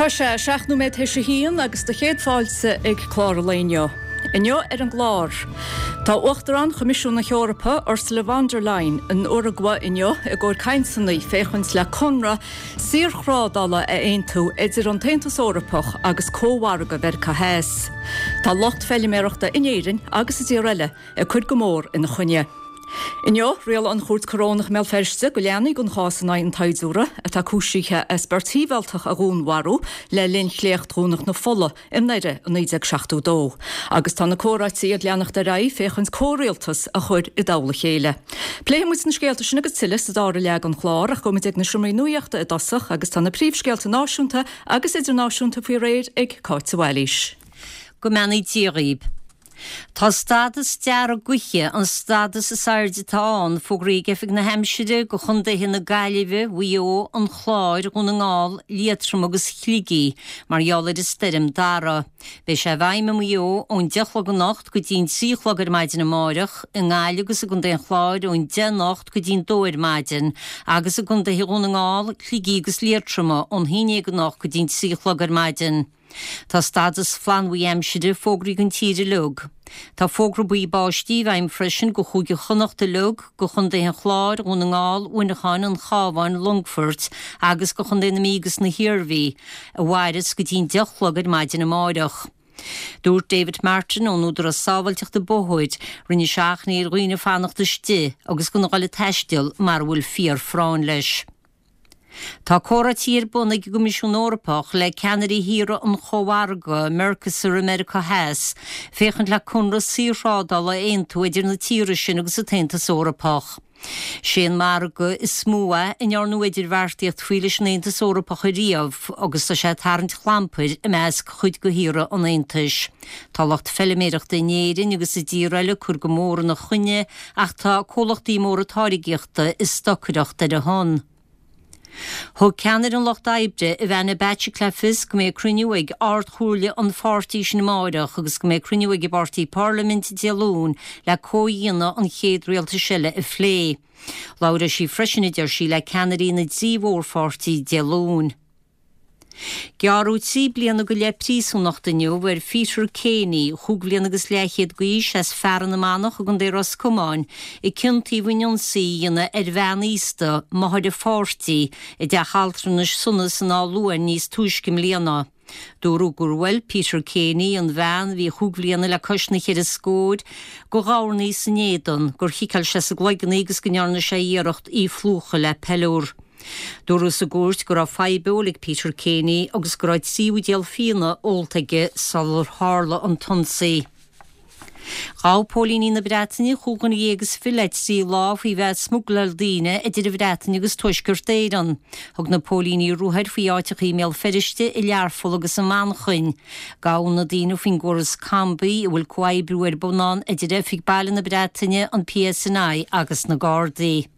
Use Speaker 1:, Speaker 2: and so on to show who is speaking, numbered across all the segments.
Speaker 1: Tá sé 7 nóiméad théis a haon agus do chéad fáilte ag clár an lae inniu. Inniu ar an gclár, tá Uachtarán Choimisiún na hEorpa, Ursula von der Leyen, in Uragua inniu i gcomhair cainteanna féachaint le conradh saorthrádála a aontú idir an tAontas Eorpach agus Cómhargadh Mheiriceá Theas. Tá lucht feiliméarachta in Éirinn agus i dtíortha eile ag cur go mór ina choinne. Inniu, rialaigh an Chúirt Corónach i mBéal Feirste go leanfaidh an chás in aghaidh an tsaighdiúra atá cúisithe as beirt shibhialtach a dhúnmharú le linn Shléacht Dhomhnach na Fola i nDoire i 1972 agus tá na comhráití ag leanacht ar aghaidh féachaint comhrialtas a chur i dtoll a chéile. Pléifidh muid na scéalta sin agus tuilleadh sa dara leath den chlár ach gabhfaidh muid ag na seomraí nuachta i dtosach agus tá na príomhscéalta náisiúnta agus idirnáisiúnta faoi réir ag Cáit de Bhailís.
Speaker 2: Go mbeannaí Dia dhaoib. Tá stádas dearg gaoithe, an stádas is airde atá ann, fógraithe ag Oifig na hAimsire do chontaetha na Gaillimhe, Mhaigh Eo, an Chláir, Dhún na nGall, Liatroma agus Shligigh mar gheall ar an stoirm Darragh. Beidh sé i bhfeidhm i Maigh Eo ón 10 a chlog anocht go dtí an 3 a chlog ar maidin amáireach, i nGaillimh agus i gContae an Chláir ón 10 anocht go dtí an 2 ar maidin agus i gcontaetha Dhún na nGall, Shligigh agus Liatroma ón 11 anocht go dtí an 3 a chlog ar maidin. Tá stádas flannbhuí aimsire fógraithe don tír uilig. Tá fógra buí báistí i bhfeidhm freisin do Chúige Chonnacht uilig, do Chontaetha an Chláir, Dhún na nGall, Mhuineacháin, an Chabháin, Longfoirt agus do Chontae na Mí agus na hIarmhí, a mhairfeas go dtí an 10 a chlog ar maidin amáireach. Dúirt David Martin ón Údarás Sábháilteachta Bóthair, rinne sé achainí ar dhaoine fanacht istigh agus gan a dhul ag taisteal mara bhfuil fíor-phráinn leis. Tá comhráití ar bun ag an gCoimisiún Eorpach le ceannairí thíortha an Chómhargaidh, Mercosur i Meiriceá Theas, féachaint le conradh saorthrádála a aontú idir na tíortha sin agus an tAontas Eorpach. Sé an margadh is mó é a ndearnadh idirbheartaíocht faoi leis an Aontas Eorpach ariamh agus tá sé ag tarraingt chlampair i measc chuid de thíortha an Aontais. Tá lucht feiliméireachta in Éirinn agus i dtíortha eile ag cur go mór ina choinne ach tá comhlachtaí móra táirgíochta ag stocaireacht ar a shon. Thug ceannaire an Lucht Oibre, Ivana Bacik le fios go mbeidh cruinniú ag Ard-Chomhairle an pháirtí sin amáireach agus go mbeidh cruinniú ag an bpáirtí i bParlaimint Dé Luain le comhdhéanamh an chéad rialtais eile a phlé. Labhróidh sí freisin, a deir sí, le ceannairí na dtrí mhórpháirtí Dé Luain. Gearradh 3 bliana go leith príosúnachta inniu ar Pheter Kenny, chúig bhliana agus leathchéad d'aois, as Fearann na Manach i gContae Ros Comáin, a ciontaíodh in ionsaí a dhéanamh ar bhean aosta, máthair a pháirtí, i dteach altranais Sonas in Áth Luain níos túisce i mbliana. Dúradh gur bhuail Peter Kenny an bhean, a bhí chúig bhliana le cois na cheithre scóir, de dhornaí san éadan, gur chiceáil sé sa gcloigeann í agus go ndearna sé iarracht í a phlúchadh le peiliúr. Dúradh sa gcúirt go raibh fadhb óil ag Peter Kenny agus go raibh 3 bhuidéal fíona ólta aige sular tharla an t-ionsaí. Ghabh póilíní na Breataine 25 dhuine le 3 lá faoi bheith ag smugláil daoine idir an Bhreatain agus Tuaisceart Éireann. Thug na póilíní ruathair faoi áiteacha i mBéal Feirste, i Learpholl agus i Manchain. Gabhadh na daoine faoin gcóras COMBI, a bhfuil comhoibriú ar bun ann idir Oifig Baile na Breataine, an PSNI agus na Gardaí.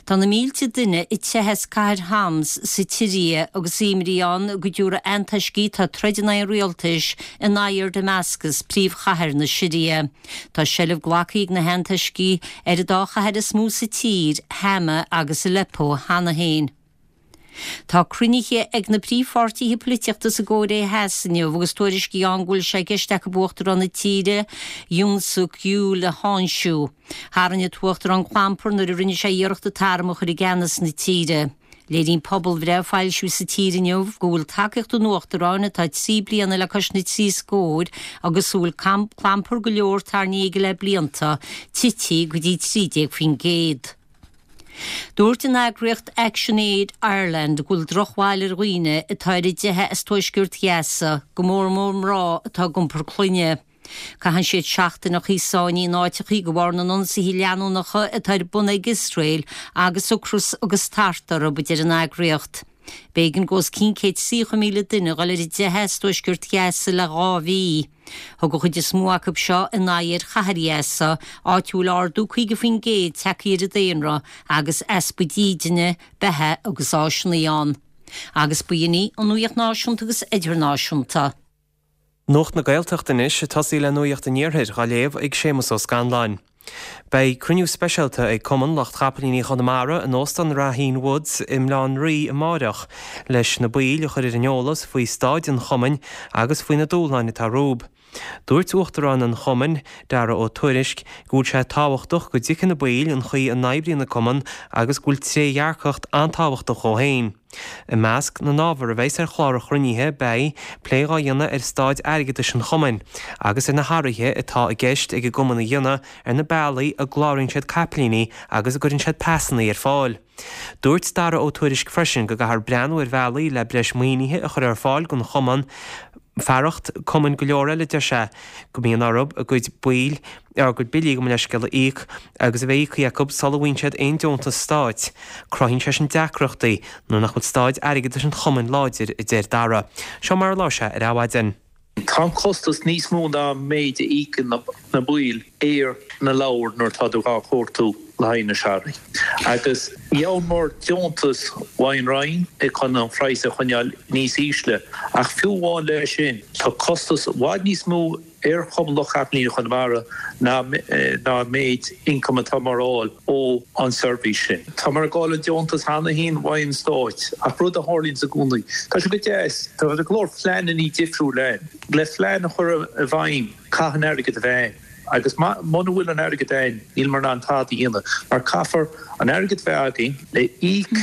Speaker 2: Tá na mílte duine ag teitheadh as cathair Homs sa tSiria agus imní ann go dtabharfaidh antoiscigh atá ag troid in aghaidh an rialtais a n-aghaidh ar Damascus, príomhchathair na Siria. Tá seilbh glactha ag na hantoiscigh ar an dá chathair is mó sa tír, Hama agus Aleppo, cheana féin. Tá cruinnithe ag na príomhpháirtithe polaitíochta sa gCóiré Theas inniu agus tuairiscí ann go bhfuil sé i gceist acu Uachtarán na tíre, Yoon Suk Yeol a tháinseamh. Tharraing an tUachtarán clampar nuair a rinne sé iarracht an t-arm a chur i gceannas na tíre. Léiríonn pobalbhreith a foilsíodh sa tír inniu go bhfuil tacaíocht an Uachtaráin, atá 3 bliana le cois na dtrí scór agus a bhfuil clampar go leor tarraingthe aige le blianta, tite go dtí 13%. Dúirt an eagraíocht Action Aid Ireland go bhfuil drochbhail ar dhaoine atá ar a dteitheadh as tuaisceart Ghaza, go mór mór mná atá ag iompar clainne. Caitheann siad seachtaineacha sáinnithe in áiteachaí de bharr na n-ionsaithe leanúnacha atá ar bun ag Iosrael agus ocras agus tart orthu, a deir an eagraíocht. B'éigean do os cionn 130,000 duine dhul ar a dteitheadh as tuaisceart Ghaza le dhá mhí. Thug an chuid is mó acu seo a n-aghaidh ar chathair Ghaza, áit a bhfuil ardú 50% tagtha ar an daonra agus easpa dídine, beatha agus áiseanna ann. Agus ba shin í an nuaíocht náisiúnta agus idirnáisiúnta.
Speaker 3: Nuacht na Gaeltachta anois, ag tosaí le Nuacht an Iarthair, á léamh ag Séamus Ó Scanláin. Beidh cruinniú speisialta ag Cumann Lucht Chapaillíní Chonamara in Óstán Raheen Woods i mBaile Átha an Rí amáireach leis na baill a chur ar an eolas faoi staid an chumainn agus faoi na dúshláin atá rompu. Dúirt Uachtarán an chumainn, Dara Ó Tuairisg, go bhfuil sé tábhachtach go dtuigfidh na baill an chaoi a n-oibríonn an cumann agus go bhfuil trédhearcacht an-tábhachtach dhó féin. I measc na n-ábhar a bheas ar chlár an chruinnithe beidh plé dhá dhéanamh ar staid airgeadais an chumainn agus ar na hathruithe atá i gceist ag an gcumann a dhéanamh ar na bealaí a gcláraíonn siad caipilíní agus a gcuireann siad pasanna ar fáil. Dúirt Dara Ó Tuairisg freisin go gcaithfear breathnú ar bhealaí le breis maoinithe a chur ar fáil don chumann fearacht cumainn go leor eile, deir sé, go mbíonn orthu a gcuid baill, a gcuid billí, gabh mo leithscéal, a íoc agus a bheith íoctha acu sula bhfaigheann siad aon deontas stáit. Cruthaíonn sé sin deacrachtaí nuair nach bhfuil staid airgeadais an chumainn láidir, a deir Dara. Seo mar a labhair sé ar Adhmhaidin.
Speaker 4: Tá an costas níos mó ná an méid a íocann na baill ar na leabhair nuair atá tú dhá chuartú le haghaidh na searraigh. Agus gheobhamar deontas ón Roinn chun an phraghas a choinneáil níos ísle ach fiú amháin leis sin tá costas i bhfad níos mó ar Chumann Lucht Chapaillíní Chonamara ná an méid ioncaim atámar a fháil ó an seirbhís sin. Támar ag fáil an deontas cheana féin ón Stáit ach rud a tharlaíonns i gcónaí, tá sé go deas, tá go leor pleananna difriúil ann. Le plean a chur i bhfeidhm caithfidh an airgead a bheith ann agus muna bhfuil an airgead ann níleamar in ann tada a dhéanamh mar caithfear an airgead bheith againn le íoc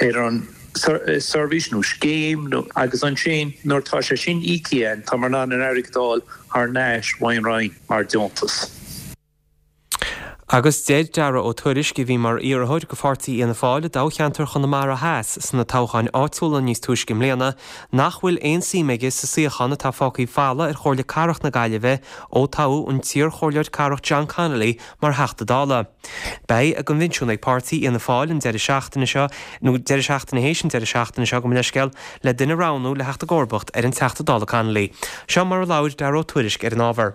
Speaker 4: ar an seirbhís nó scéim nó agus ansin nuair atá sé sin íoctha againn támar in ann an airgead a fháil thar n-ais ón Roinn mar deontas.
Speaker 3: Agus deir Dara Ó Tuairisg, a bhí mar iarrthóir do pháirtí Fhianna Fáil i dtoghcheantar Chonamara Theas sna toghcháin áitiúla níos túisce i mbliana, nach bhfuil aon suim aige sa suíochán atá fágtha folamh ar Chomhairle Cathrach na Gaillimhe ó toghadh an t-iarchomhairleoir cathrach John Connolly mar Theachta Dála. Beidh a gcoinbhinsiún ag páirtí Fhianna Fáil an deireadh seachtaine seo, nó deireadh seachtaine théis an deireadh seachtaine seo, gabh mo leithscéal, le duine a roghnú le theacht i gcomharbacht ar an Teachta Dála Connolly. Seo mar a labhair Dara Ó Tuairisg ar an ábhar.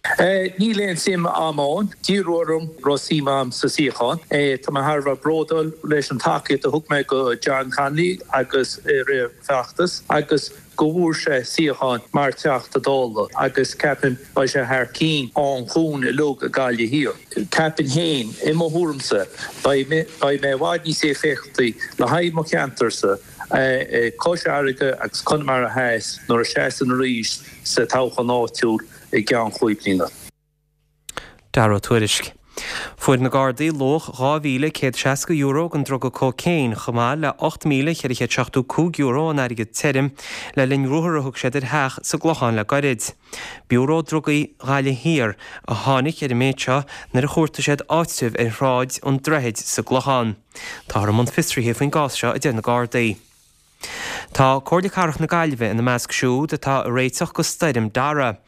Speaker 4: Níl aon suim a'm ann. D'iarradh orm raibh suim a'm sa suíochán. Tá mé thar a bheith bródúil leis an tacaíocht a thug mé go John Connolly agus i rith an feachtas agus go bhfuair sé suíochán mar Teachta Dála agus ceapaim beidh sé thar cinn an chuain uilig i Gaillimh Thiar. Ceapaim féin, i mo thuairimse, beidh mé i bhfad níos éifeachtaí le haghaidh mo cheantarsa Cois Fharraige agus Conamara Theas nuair a seasaim arís sa toghchán áitiúil i gceann chúig bliana.
Speaker 3: Dara Ó Tuairisg. Fuair na Gardaí luach €2,160 den druga cócaon chomh maith le €8,475 in airgead tirim le linn ruathar a thug siad ar theach sa gClochán le gairid. Biúró Drugaí Ghaillimh Thiar a tháinig ar an méid seo nuair a chuartaigh siad áitreabh ar Shráid an Droichid sa gClochán. Táthar i mbun fiosraithe faoin gcás seo, a deir na Gardaí. Tá Comhairle Cathrach na Gaillimhe ina measc siúd atá ag réiteach go Stoirm Dara.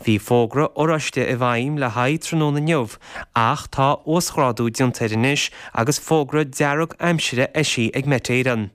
Speaker 3: Bhí fógra oráiste i bhfeidhm le haghaidh tráthnóna inniu ach tá uasghrádú déanta air anois agus fógra dearg aimsire eisithe ag Met Éireann.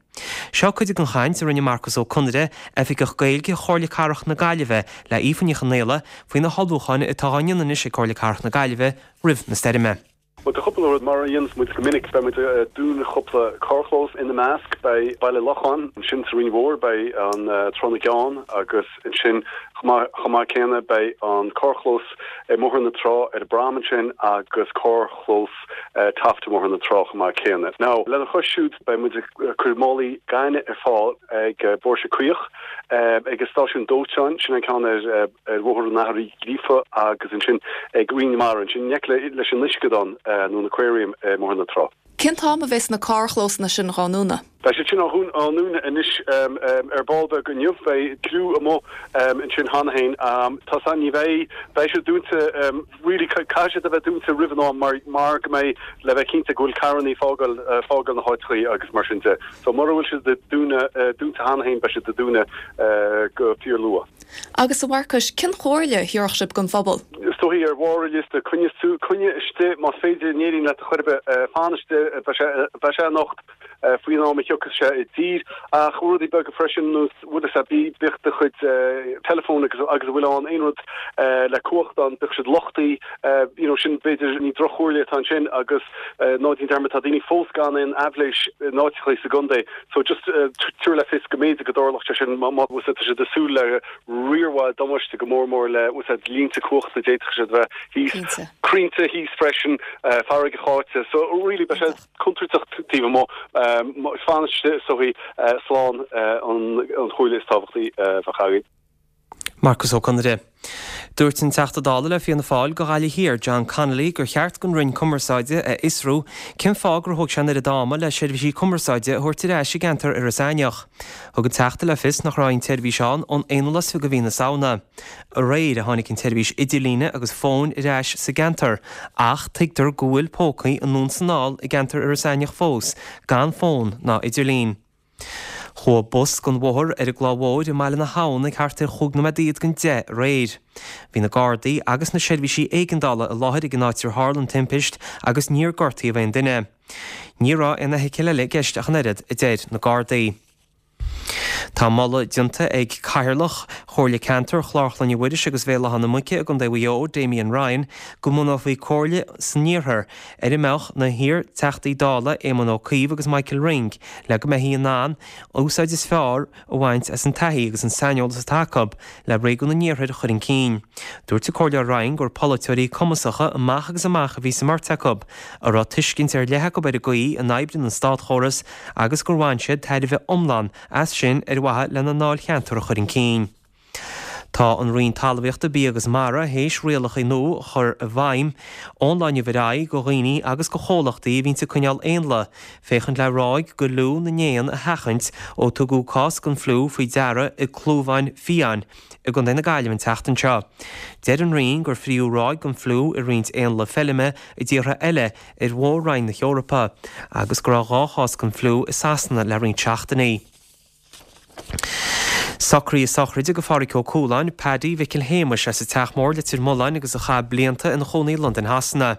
Speaker 3: Seo cuid den chaint a rinne Marcus Ó Conaire, Oifigeach Gaeilge Chomhairle Cathrach na Gaillimhe le Aoife Ní Chonaola faoi na hullmhúcháin atá á ndéanamh anois ag Comhairle Cathrach na Gaillimhe roimh na stoirme.
Speaker 5: Bhuel, tá cúpla rud, mar a dhéanas muid go minic, beidh muid ag dúnadh cúpla carrchlós ina measc, beidh Baile Locháin, ansin sa Rinn Mhór beidh an Trá na gCeann agus ansin chomh maith céanna beidh an carrchlós i mBóthar na Trá ar an bProm ansin agus carrchlós Taft i mBóthar na Trá chomh maith céanna. Now, lena chois siúd beidh muid ag cur málaí gainimh ar fáil ag Bóthar Caoch, ag an stáisiún dóiteáin, sin an ceann ar. ar Bhóthar an Athar Uí Ghríofa agus ansin ag Rinn na Mara, ansin in aice leis an uisceadán nó an aquarium i mBóthar na Trá.
Speaker 1: Cén t-am a bheas na carrchlósanna sin dhá ndúnadh?
Speaker 5: Beidh siad sin á ndúnadh anois ar ball beag inniu. Beidh criú amuigh ansin cheana féin. Tá san, ní bheidh, beidh siad dúnta really, caithfidh siad a bheith dúnta roimh an am mar mar go mbeidh, le bheith cinnte go bhfuil carrannaí ag fágáil, fágáil na háiteachaí agus mar sin de. So mura bhfuil siad dúnadh, dúnta cheana féin beidh siad ag dúnadh go fíor luath.
Speaker 1: Agus a Mharcais, cén chomhairle a thabharfadh sibh don phobal?
Speaker 5: Is dóichí ar bharr an liosta, coinnigh, coinnigh istigh más féidir, an éiríonn leat a chor ar bith, fan istigh, beidh sé, beidh sé anocht. Faoin am a thiocfas sé i dtír. Ach rudaí beaga freisin, nós, bhfuil fhios a'd, bíodh do chuid teileafóin agus agus a bhfuil ann, aon rud le cumhacht ann, bíodh siad luchtaithe, you know, sin b'fhéidir, ní droch-chomhairle atá ansin agus ná déan dearmad, tá daoine fós gan aon aibhléis in áiteachaí sa gcontae so just tabhair le fios go mb'fhéidir go dtarlódh sé sin má má tá siad ag súil le riar mhaith damáiste go mór mór le bhfuil fhios a'd línte cumhachta d'fhéadfadh siad a bheith thíos, crainnte thíos freisin, farraige cháite so really beidh sé contúirteach taobh amuigh. Fan istigh is dóichí slán an chomhairle is tábhachtaí a bheadh againn.
Speaker 3: Marcus Ó Conaire. Dúirt an Teachta Dála le Fianna Fáil do Ghaillimh Thiar, John Connolly, gur cheart don Roinn Cumarsáide a fhiosrú cén fáth gur thóg sé an oiread ama le seirbhísí cumarsáide a thabhairt ar ais i gceantar Iorras Aithneach. Thug an Teachta le fios nach raibh aon tseirbhís ann ón 21ú de mhí na Samhna. Aréir a tháinig an tseirbhís idirlíne agus fóin ar ais sa gceantar ach tuigtear go bhfuil pócaí anonn 's anall i gceantar Iorras Aithneach fós gan fón ná idirlíon. Chuaigh bus den bhóthar ar an gClaí Mhóir i mBaile na hAbhann ag thart ar chúig nóiméad don deich aréir. Bhí na Gardaí agus na seirbhísí éigeandála i láthair ag an áit ar tharla an timpist agus níor gortaíodh aon duine. Ní raibh aon fheithicil eile i gceist ach an oiread, a deir na Gardaí. Tá moladh déanta ag Cathaoirleach Chomhairle Ceantair Chlár Chlainne Mhuiris agus Bhéal Átha na Muice i gContae Mhaigh Eo, Damien Ryan, go mbunófaí comhairle san iarthar ar a mbeadh na hiar-Teachtaí Dála Éamon Ó Cuív agus Michael Ring le go mbeifí in ann úsáid is fearr a bhaint as an taithí agus an saineolas atá acu le réigiún an iarthair a chur chun cinn. Dúirt an Comhairleoir Ryan gur polaiteoirí cumasacha amach agus amach a bhí sa mbeirt acu, a raibh tuiscint ar leith acu ar an gcaoi a n-oibríonn an státchóras agus gur bhain siad tairbhe iomlán as sin ar mhaithe lena ndáilcheantar a chur chun cinn. Tá an Roinn Talmhaíochta, Bia agus Mara théis rialacha nua a chur i bhfeidhm ón lá inniu ar aghaidh do dhaoine agus do chomhlachtaí a bhíonns ag coinneáil éanlaith, féachaint le ráig de fhliú na n-éan a sheachaint ó tugadh cás den fhliú faoi deara i gclúmháin fiáin i gContae na Gaillimhe an tseachtain seo. Deir an Roinn gur fríodh ráig den fhliú i roinnt éanlaith feilme i dtíortha eile ar mhór-roinn na hEorpa agus go raibh 2 chás den fhliú i Sasana le roinnt seachtainí. Socruithe sochraide do Phádhraic Ó Cualáin, Paddy Mhicil Shéamais as an Teach Mór, Leitir Mealláin agus a chaith blianta ina chónaí i Londain Shasana.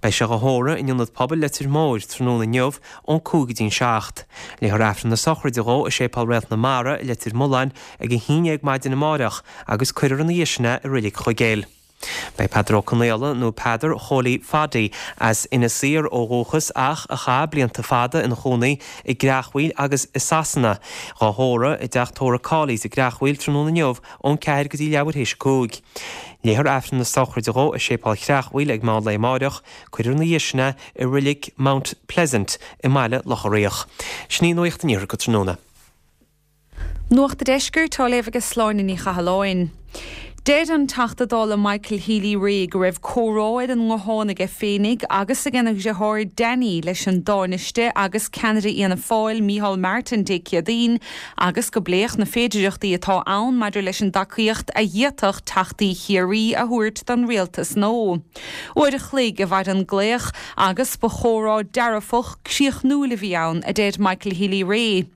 Speaker 3: Beidh sé dhá thórramh in Ionad Pobail Leitir Móir tráthnóna inniu ón 5 go dtí'n 7. Léifear Aifreann na sochraide dhó i Séipéal Réalt na Mara i Leitir Mealláin ag 11 maidin amáireach agus cuirfear ina dhiaidh sin é i Reilig Chuigéil. Beidh Peadar Ó Conaola, nó Peadar Chóilí Phaddy, as Inis Oírr ó dhúchas ach a chaith blianta fada ina chónaí i gCreachmhaoil agus i Sasana, dhá thórramh i dteach tórraimh Cawley's i gCreachmhaoil tráthnóna inniu ón 4 go dtí leathuair théis a 5. Léifear Aifreann na sochraide dhó i Séipéal Chreachmhaoil ag meán lae amáireach. Cuirfear ina dhiaidh sin é i Reilig Mount Pleasant i mBaile Locha Riach. Sin í Nuacht an Iarthair go tráthnóna.
Speaker 6: Nuacht a' Deiscirt á léamh aige Sláine Ní Chathalláin. Deir an Teachta Dála Michael Healy-Rae go raibh comhrá ar an nguthán aige féinig agus agena dheartháir Danny leis an dTánaiste agus ceannaire Fhianna Fáil Micheál Martin Dé Céadaoin agus go bpléadh na féidireachtaí atá ann maidir leis an dtacaíocht a d'fhéadfadh Teachtaí Chiarraí a thabhairt don rialtas nua. Uair a chloig a mhair an glaoch agus ba chomhrá dearfach críochnúil a bhí ann, a deir Michael Healy-Rae.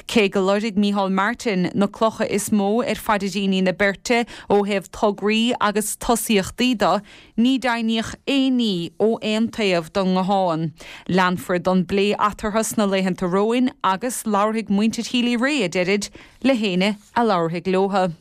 Speaker 6: Cé go loirg Micheál Martin na clocha is mó ar phaidríní na beirte ó thaobh tograí agus tosaíochtaí de, ní deimhníodh aon ní ó aon taobh den nguthán. Leanfar den bplé eatarthu sna laethanta romhainn agus labharfaidh muintir Healy-Rae, a deirid, le héinne a labharfaidh leothu.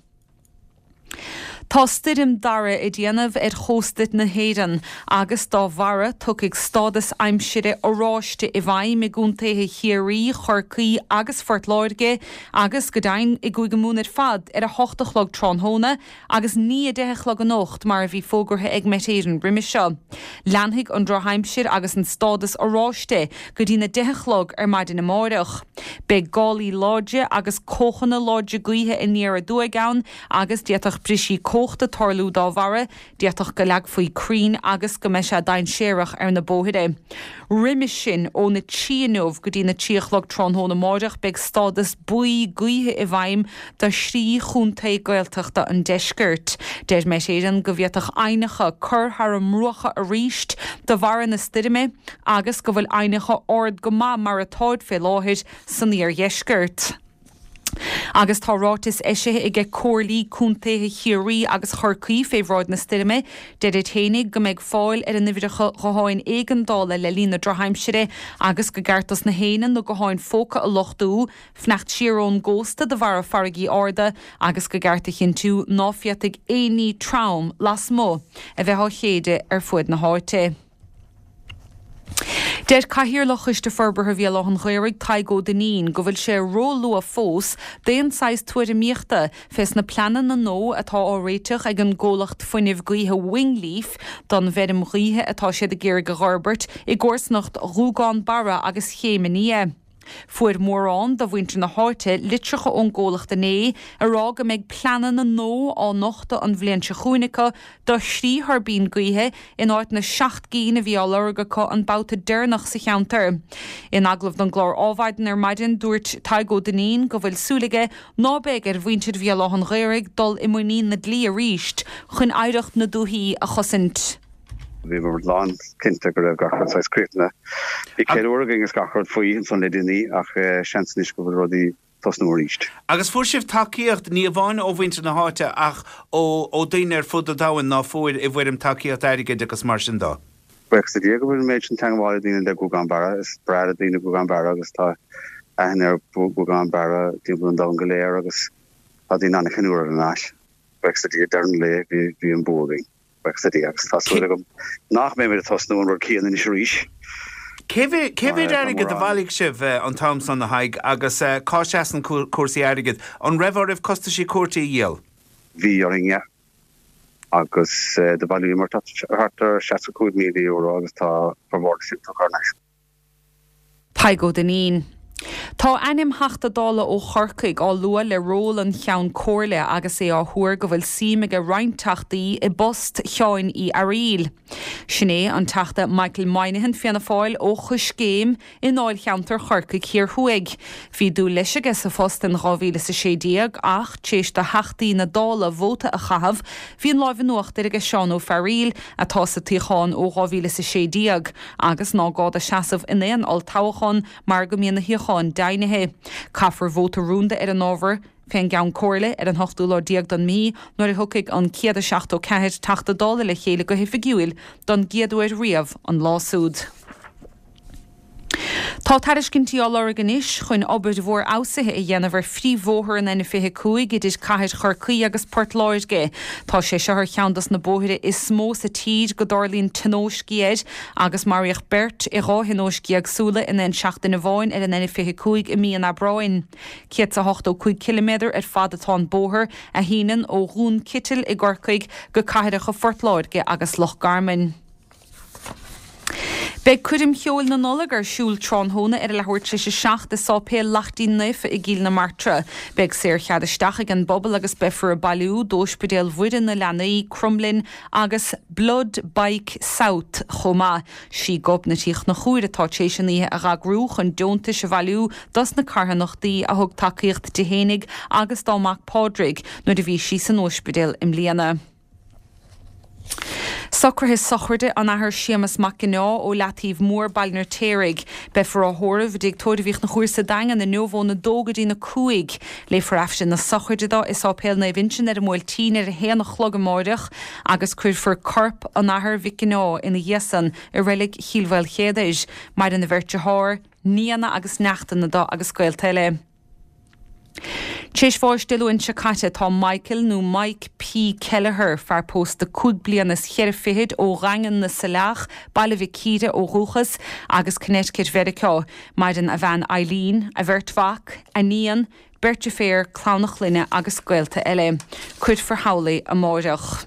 Speaker 6: Tá Stoirm Darragh ag déanamh ar chósta na hÉireann agus dá bharra tiocfaidh stádas aimsire oráiste i bhfeidhm i gcontaetha Chiarraí, Chorcaí agus Phort Láirge agus go deimhin i gCúige Mumhan ar fad ar a hocht a chlog tráthnóna agus ní 10 a chlog anocht mar a bhí fógartha ag Met Éireann roimhe seo. Leanfaidh an drochaimsir agus an stádas oráiste go dtína 10 a chlog ar maidin amáireach. Beidh gálaí láidre agus cóchanna láidre gaoithe aniar aduaidh ann agus d'fhéadfadh brisí cumhachta tarlú dá bharra, d'fhéadfadh go leagfaí crainn agus go mbeidh sé dainséarach ar na bóithre. Roimis sin, óna trí inniu go dtína trí a chlog tráthnóna amáireach beidh stádas buí gaoithe i bhfeidhm do thrí chontae Gaeltachta an deiscirt. Deir Met Éireann go bhféadfadh aibhneacha cur thar a mbruacha arís de bharra na stoirme agus go bhfuil aibhneacha ard go maith mar atáid fé láthair san iardheisceart. Agus tá ráiteas eisithe aige Comhairlí Contaetha Chiarraí agus Chorcaí fé bhráid na stoirme. Deirid fhéinig go mbeidh fáil ar a n-uimhreacha gutháin éigeandála le linn na drochaimsire agus go gceart dos na héinne na gutháin phóca a luchtú, fanacht siar ón gcósta de bharra farraigí arda agus go gceart a chinntiú ná féadfaidh aon ní trom lasmuigh a bheith á shéideadh ar fuaid na háite. Deir Cathaoirleach Choiste Forbartha Bhéal Átha an Ghaorthaidh, Tadhg Ó Duinnín, go bhfuil sé ró-luath fós d'aon saghas tuairimíochta fés na pleananna nua atá á réiteach ag an gcomhlacht fuinnimh gaoithe Wingleaf don bhfeirm ghaoithe atá siad ag iarraidh a dh'fhorbairt i gcomharsanacht Ghuagán Barra agus Chéim an Fhia. Fuair mórán de mhuintir na háite litreacha ón gcomhlacht inné ag rá go mbeidh pleananna nua á nochtadh an bhliain seo chugainn acu do thrí thuirbín gaoithe in áit na seacht gcinn a bhí á lorg acu an babhta deireanach sa cheantar. In agallamh don gclár Ádhmhaidin ar maidin dúirt Tadhg Ó Duinnín go bhfuil súil aige ná beidh ar mhuintir Bhéal Átha an Ghaorthaidh dul i muinín na dlí arís chun oidhreacht na dúthaí a chosaint.
Speaker 5: Bhíomar lán cinnte go raibh gach rud saghas críochnaithe. Bhí ceiliúradh againn is gach rud faoi ansan le déanaí ach seans anois go bhfuil rudaí tosnú arís.
Speaker 7: Agus fuair sibh tacaíocht, ní amháin ó mhuintir na háite ach ó ó daoine ar fud an domhain ná fuair i bhfoirm tacaíocht airgid agus mar sin dó.
Speaker 5: Buíochas le Dia go bhfuil an méid sin teangmháil ag daoine le Guagán Barra. Is breá le daoine Guagán Barra agus tá aithne ar Ghuagán Barra timpeall an domhain go léir agus tá daoine an-cheiliúradh thar n-ais. Buíochas le Dia, deireadh an lae bhí an bua againn. Buíochas le Dia agus tá súil agam nach mbeimid ag tosnú an rud céanna anois arís.
Speaker 7: Cé mhéad airgead a bhailigh sibh an t-am san, a Thaidhg, agus cá seasann cúrsaí airgid? An raibh oraibh costaisí cúirte a dhíol?
Speaker 5: Bhí orainn, yeah. Agus do bhailíomar thart ar €65,000 agus tá formhór de sin tugtha thar n-ais.
Speaker 6: Tadhg Ó Duinnín. Tá ainm Theachta Dála ó Chorcaigh á lua le ról an Cheann Comhairle agus é á thuar go bhfuil suim aige roinnt Teachtaí i bpost Sheáin Uí Fhearaíl. Sin é an Teachta Michael Moynihan, Fianna Fáil, ó Choiscéim i ndáilcheantar Chorcaigh Thiar Thuaidh. Bhí dúil leis aige sa phost in 2016 ach, tar éis do Theachtaí na Dála vóta a chaitheamh, bhí an láimh in uachtar aige Seán Ó Fearaíl, atá sa tsuíochán ó 2016. agus ná gá dó seasamh in aon olltoghchán mar go mbíonn na shuíocháin deimhnithe. Caithfear vóta rúnda ar an ábhar fén gCeann Comhairle ar an hochtú lá déag den mhí nuair a thiocfaidh an 174 Teachta Dála le chéile go hoifigiúil don gcéad uair riamh an lá súd. Tá tairiscintí á lorg anois chun obair mhór fheabhsaithe a dhéanamh ar phríomhbhóthar an N25 idir cathair Chorcaí agus Port Láirge. Tá sé seo ar cheann dos na bóithre is mó sa tír go dtarlaíonn tionóiscí air agus maraíodh beirt i dha thionóisc éagsúla in aon seachtain amháin ar an N25 i mí an Aibreáin. 185 ciliméadar ar fad atá an bóthar, a shíneann ó Dhún Citil i gCorcaigh go cathracha Phort Láirge agus Loch Garman. Beidh Coirm Cheoil na Nollag ar siúl tráthnóna ar a leathuair tar éis 7 i Sáipéal Laichtín Naofa i gCill na Martra. Beidh saorchead isteach ag an bpobal agus beifear ag bailiú d'Óispidéal Mhuire na Leanaí, Cromghlinn agus Blood Bike South chomh maith. Sí Gobnait Uí Chonchúir atá tar éis an oíche a dh'eagrú chun deontais a bhailiú dos na carthanachtaí a thug tacaíocht di fhéinig agus dá mac Pádraig nuair a bhí sí san óispidéal i mbliana. Socruithe sochraide an Athar Séamus Mac Ginneá ó Leataobh Mór, Baile an Fheirtéaraigh. Beifear á thórramh i dTigh Tórraimh Uí Chonchúir sa Daingean inniu óna dó go dtína 5. Léifear Aifreann na sochraide dó i Sáipéal Naomh Uinseann ar an mBuailtín ar a haon a chlog amáireach agus cuirfear corp an Athar Mhic Ginneá ina dhiaidh san i reilig Chill Mhaoilchéadair. Maireann a bheirt dearthár, nianna agus neachtanna dó agus gaolta eile. Tar éis bháis Dé Luain seo caite tá Michael nó Mike P Kelleher, fear pósta cúig bliana is cheithre fichid ó Dhaingean na Saileach, Baile Mhic Íre ó dhúchas, agus Connecticut Mheiriceá. Maireann a bhean Eileen, a bheirt mhac, a níon, beirt deirféar, clann a chlainne agus gaolta eile. Cuirfear thall é amáireach.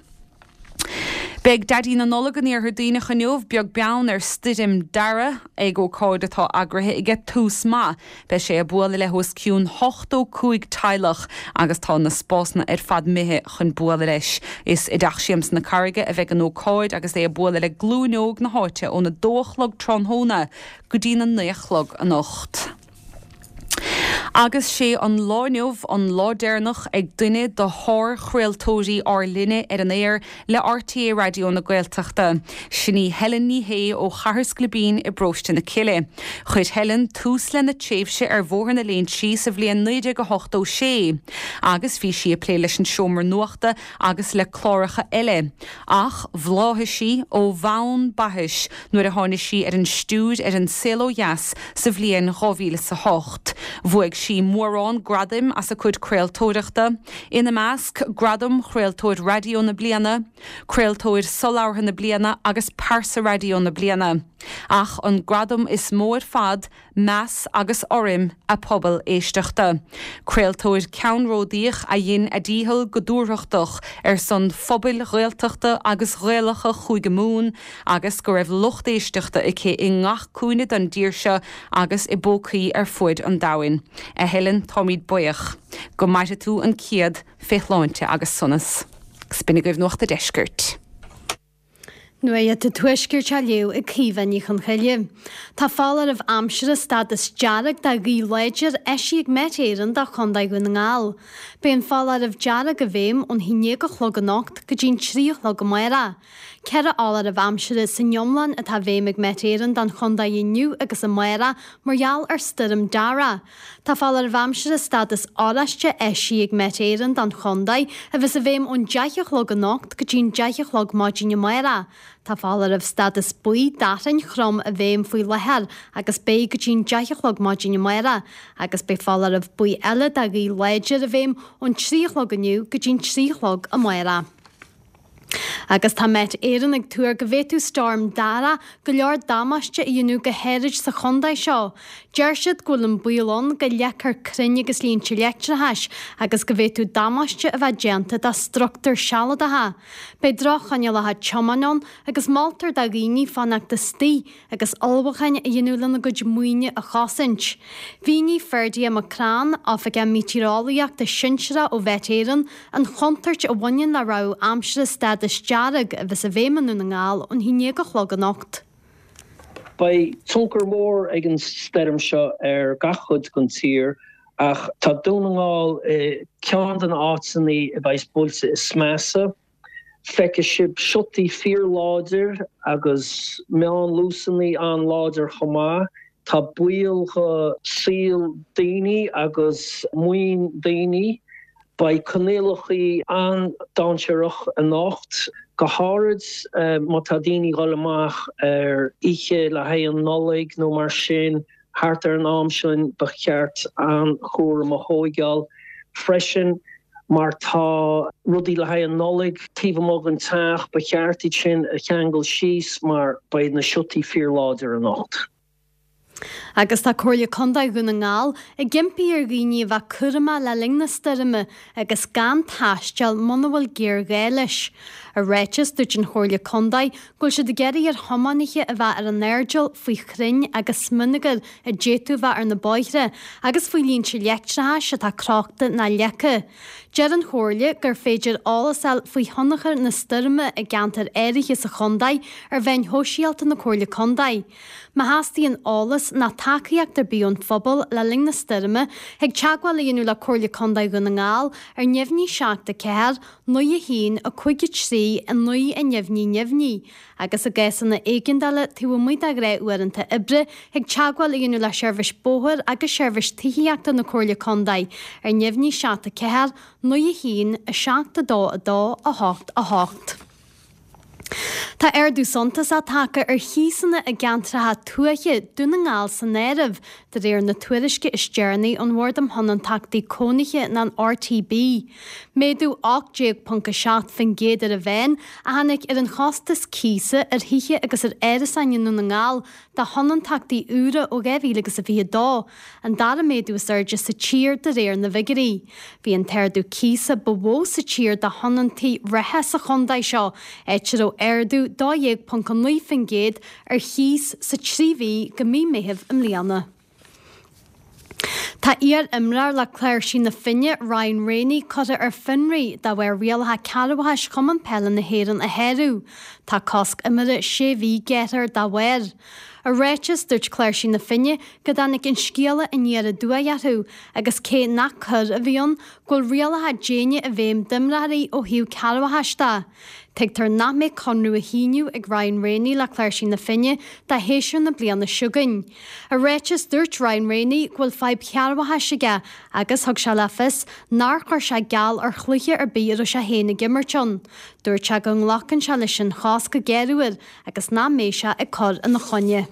Speaker 6: Beidh Daidí na Nollag in Iarthar Duibhneach inniu, beag beann ar stoirm Darragh, ag ócáid atá eagraithe aige Tús Maith. Beidh sé ag bualadh le hos cionn 85 teaghlach agus tá na spásanna ar fad imithe chun bualadh leis. Is i dTeach Siamsa na Carraige a bheidh an ócáid agus é ag bualadh le glúin óg na háite óna dó a chlog tráthnóna go dtína naoi a chlog anocht. Agus sé an lá inniu an lá deireanach ag duine de shár-chraoltóirí ár linne ar an aer le RTÉ Raidió na Gaeltachta. Sin í Helen Ní Shé ó Chathair Scliobín i bParóiste na Cille. Chuir Helen tús lena tréimhse ar Bhóthar na Léinsí sa bhliain 1986 agus bhí sí ag plé leis an Seomra Nuachta agus le cláracha eile. Ach bhláthaigh sí ó bhonn baithis nuair a tháinig sí ar an stiúir ar An Saol Ó Dheas sa bhliain 2008. Bhuaigh sí mórán gradaim as a cuid craoltóireachta, ina measc Gradam Chraoltóir Raidió na Bliana, Craoltóir Solabhartha na Bliana agus Pearsa Raidió na Bliana. Ach an gradam is mó ar fad, meas agus urraim a pobal éisteachta. Craoltóir ceannródaíoch a dhein a dícheall go dúthrachtach ar son phobail Ghaeltachta agus Ghaelacha Chúige Mumhan agus go raibh lucht éisteachta aici i ngach cúinne den dtír seo agus i bpócaí ar fuaid an domhain. A Helen, táimid buíoch. Go maire tú an céad fé shláinte agus sonas. 'S b'in agaibh Nuacht a' Deiscirt.
Speaker 8: Nuacht an Tuaiscirt á léamh ag Caoimhe Ní Chonchoille. Tá foláireamh aimsire stádas dearg de ghaoth láidir eisithe ag Met Éireann do Chontae Dhún na nGall. Beidh an foláireamh dearg i bhfeidhm ón 11 a chlog anocht go dtí'n 3 a chlog amárach. Ceithre fholáireamh aimsire san iomlán atá i bhfeidhm ag Met Éireann don chontae inniu agus amárach mar gheall ar Stoirm Darragh. Tá foláireamh aimsire stádas oráiste eisithe ag Met Éireann don chontae, a bheas i bhfeidhm ón 10 a chlog anocht go dtí'n 10 a chlog maidin amárach. Tá foláireamh stádas buí d'fhearthainn throm i bhfeidhm faoi láthair agus beidh go dtí'n 10 a chlog maidin amárach, agus beidh foláireamh buí eile de ghaoth láidir i bhfeidhm ón 3 a chlog inniu go dtí'n 3 a chlog amárach. Agus tá Met Éireann ag tuar go bhféadfadh Storm Darragh go leor damáiste a dhéanamh go háirid sa chontae seo. Deir siad go bhfuil an baol ann go leagfar crainn agus línte leictreachais agus go bhféadfadh damáiste a bheith déanta do struchtúir sealadacha. Beidh droch-choinníollacha tiomána ann agus moltar do dhaoine fanacht istigh agus ullmhúcháin a dhéanamh lena gcuid maoine a chosaint. Mhínigh Ferdia McCrann, Oifigeach Meitéareolaíochta Sinsearach ó Mhet Éireann, an chontúirt a bhaineann le rabhadh aimsire stádas dearg a bheas i bhfeidhm i nDún na nGall ón 11 a chlog anocht.
Speaker 9: Beidh tionchar mór ag an stoirm seo ar gach cuid den tír ach tá Dún na nGall i gceann de na áiteanna a bheas buailte is measa. Feicfidh sibh siotaí fíorláidir agus meánluasanna an-láidir chomh maith. Tá baol do saol daoine agus maoin daoine. Beidh coinníollacha an-dainséarach anocht, go háirid má tá daoine ag dul amach ar oíche le haghaidh an Nollaig nó mar sin. Thart ar an am sin ba cheart an-chúram a thóigeáil freisin mar tá rudaí le haghaidh an Nollaig taobh amuigh den teach, ba cheart iad sin a cheangal síos mar beidh na siotaí fíorláidir anocht.
Speaker 8: Agus tá Comhairle Contae Dhún na nGall ag impí ar dhaoine a bheith cúramach le linn na stoirme agus gan taisteal muna bhfuil géarghá leis. I ráiteas, dúirt an Chomhairle Contae go bhfuil siad ag iarraidh ar thiománaithe a bheith ar a n-airdeall faoi chrainn agus smionagar a d'fhéadfadh a bheith ar na bóithre agus faoi línte leictreachais atá crochta ná leagtha. Deir an Chomhairle gur féidir eolas a fháil faoi thionchar na stoirme i gceantair áirithe sa chontae ar mheáin shóisialta na Comhairle Contae. Má theastaíonn eolas ná tacaíocht ar bith ón phobal le linn na stoirme, thig teagmháil a dhéanamh le Comhairle Contae Dhún na nGall ar neamhní 7 4 9 1 5 3 9 a neamhní neamhní, agus i gcásanna éigeandála taobh amuigh de ghnáthuaireanta oibre, thig teagmháil a dhéanamh le Seirbhís Bóthair agus Seirbhís Tithíochta na Comhairle Contae ar neamhní 7 4 9 1 7 2 2 8 8. Tá ardú suntasach tagtha ar chíosanna i gceantracha tuaithe, Dún na nGall san áireamh, de réir na tuairisce is deireanaí ón Bhord um Thionóntachtaí Cónaithe ná an RTB. Méadú 18.7% ar an mheán a tháinig ar an chostas cíosa ar thithe agus ar árasáin i nDún na nGall do thionóntachtaí úra ó 2022, an dara méadú is airde sa tír de réir na bhfigiúirí. Bhí an t-ardú cíosa ba mhó sa tír do thionóntaí reatha sa chontae seo, áit a raibh ardú 12.9% ar chíos sa trí mhí go mí Meithimh i mbliana. Tá iar-imreoir le Cláirsigh na Finne, Ryan Rainey, curtha ar fionraí de bharr rialacha cearrbhachais Chumann Peile na hÉireann a shárú. Tá cosc imeartha sé mhí gearrtha air dá bharr. I ráiteas, dúirt Cláirsigh na Finne go dtáinig an scéala aniar aduaidh orthu agus cé nach coir a bhí ann, go bhfuil rialacha déine i bhfeidhm d'imreoirí ó thaobh cearrbhachais de. Tuigtear nach mbeidh conradh á shíniú ag Ryan Rainey le Cláirsigh na Finne do shéasúr na bliana seo chugainn. I ráiteas, dúirt Ryan Rainey go bhfuil fadhb chearrbhachais aige agus thug sé le fios nár chuir sé geall ar chluiche ar bith a raibh sé féin ag imirt ann. Dúirt sé go nglacann sé leis an chás go géarmhar agus nach mbeidh sé ag cur ina choinne.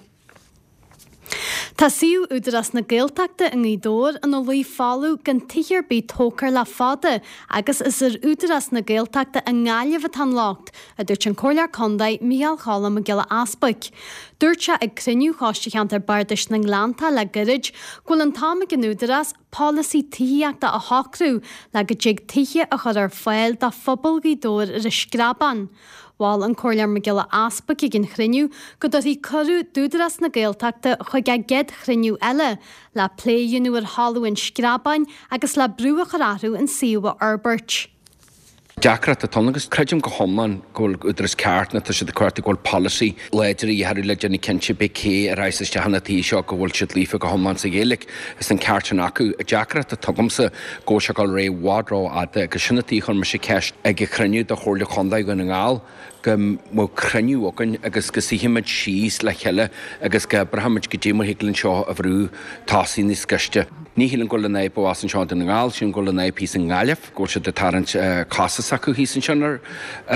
Speaker 8: Tá suíomh Údarás na Gaeltachta i nGaoth Dobhair ina luí folamh gan tithe ar bith tógtha air le fada agus is ar Údarás na Gaeltachta i nGaillimh atá an locht, a dúirt an Comhairleoir Contae Micheál Cholm Mac Giolla Easbuic. Dúirt sé ag cruinniú Choiste Cheantar Bardais na nGleanntach le gairid go bhfuil an t-am ag an Údarás polasaí tithíochta a shocrú le go dtig tithe a chur ar fáil do phobal Ghaoth Dobhair ar an Screabán. Mhol an Comhairleoir Mac Giolla Easbuic ag an chruinniú go dtabharfaí cuireadh d'Údarás na Gaeltachta chuig a gcéad chruinniú eile le plé a dhéanamh ar thalamh an Screabáin agus le brú a chur orthu an suíomh a fhorbairt.
Speaker 10: Deacracht atá ann agus creidim go hiomlán go bhfuil Údarás ceart nó tá siad ag cuartú go bhfuil polasaí láidir a dhíth orthu le déanamh cinnte pé cé a raghas isteach ina tithe seo go bhfuil siad líofa go hiomlán sa Ghaeilge. Is an ceart sin acu. An deacracht atá agamsa go bhfuil sé ag dul ar aghaidh i bhfad ró-fhada agus sin an tuige a chuir mise ceist ag an chruinniú do Chomhairle Chontae Dhún na nGall go mbeadh cruinniú againn agus go suífimid síos le chéile agus go oibreoimid goidé mar thig linn seo a bhrú tosaigh níos gaiste. Ní shílim go bhfuil an fhadhb abhus anseo i nDún na nGall, sílim go bhfuil an fhadhb thíos i nGaillimh, go bhfuil siad ag tarraingt cosa s'acu thíos ansin ar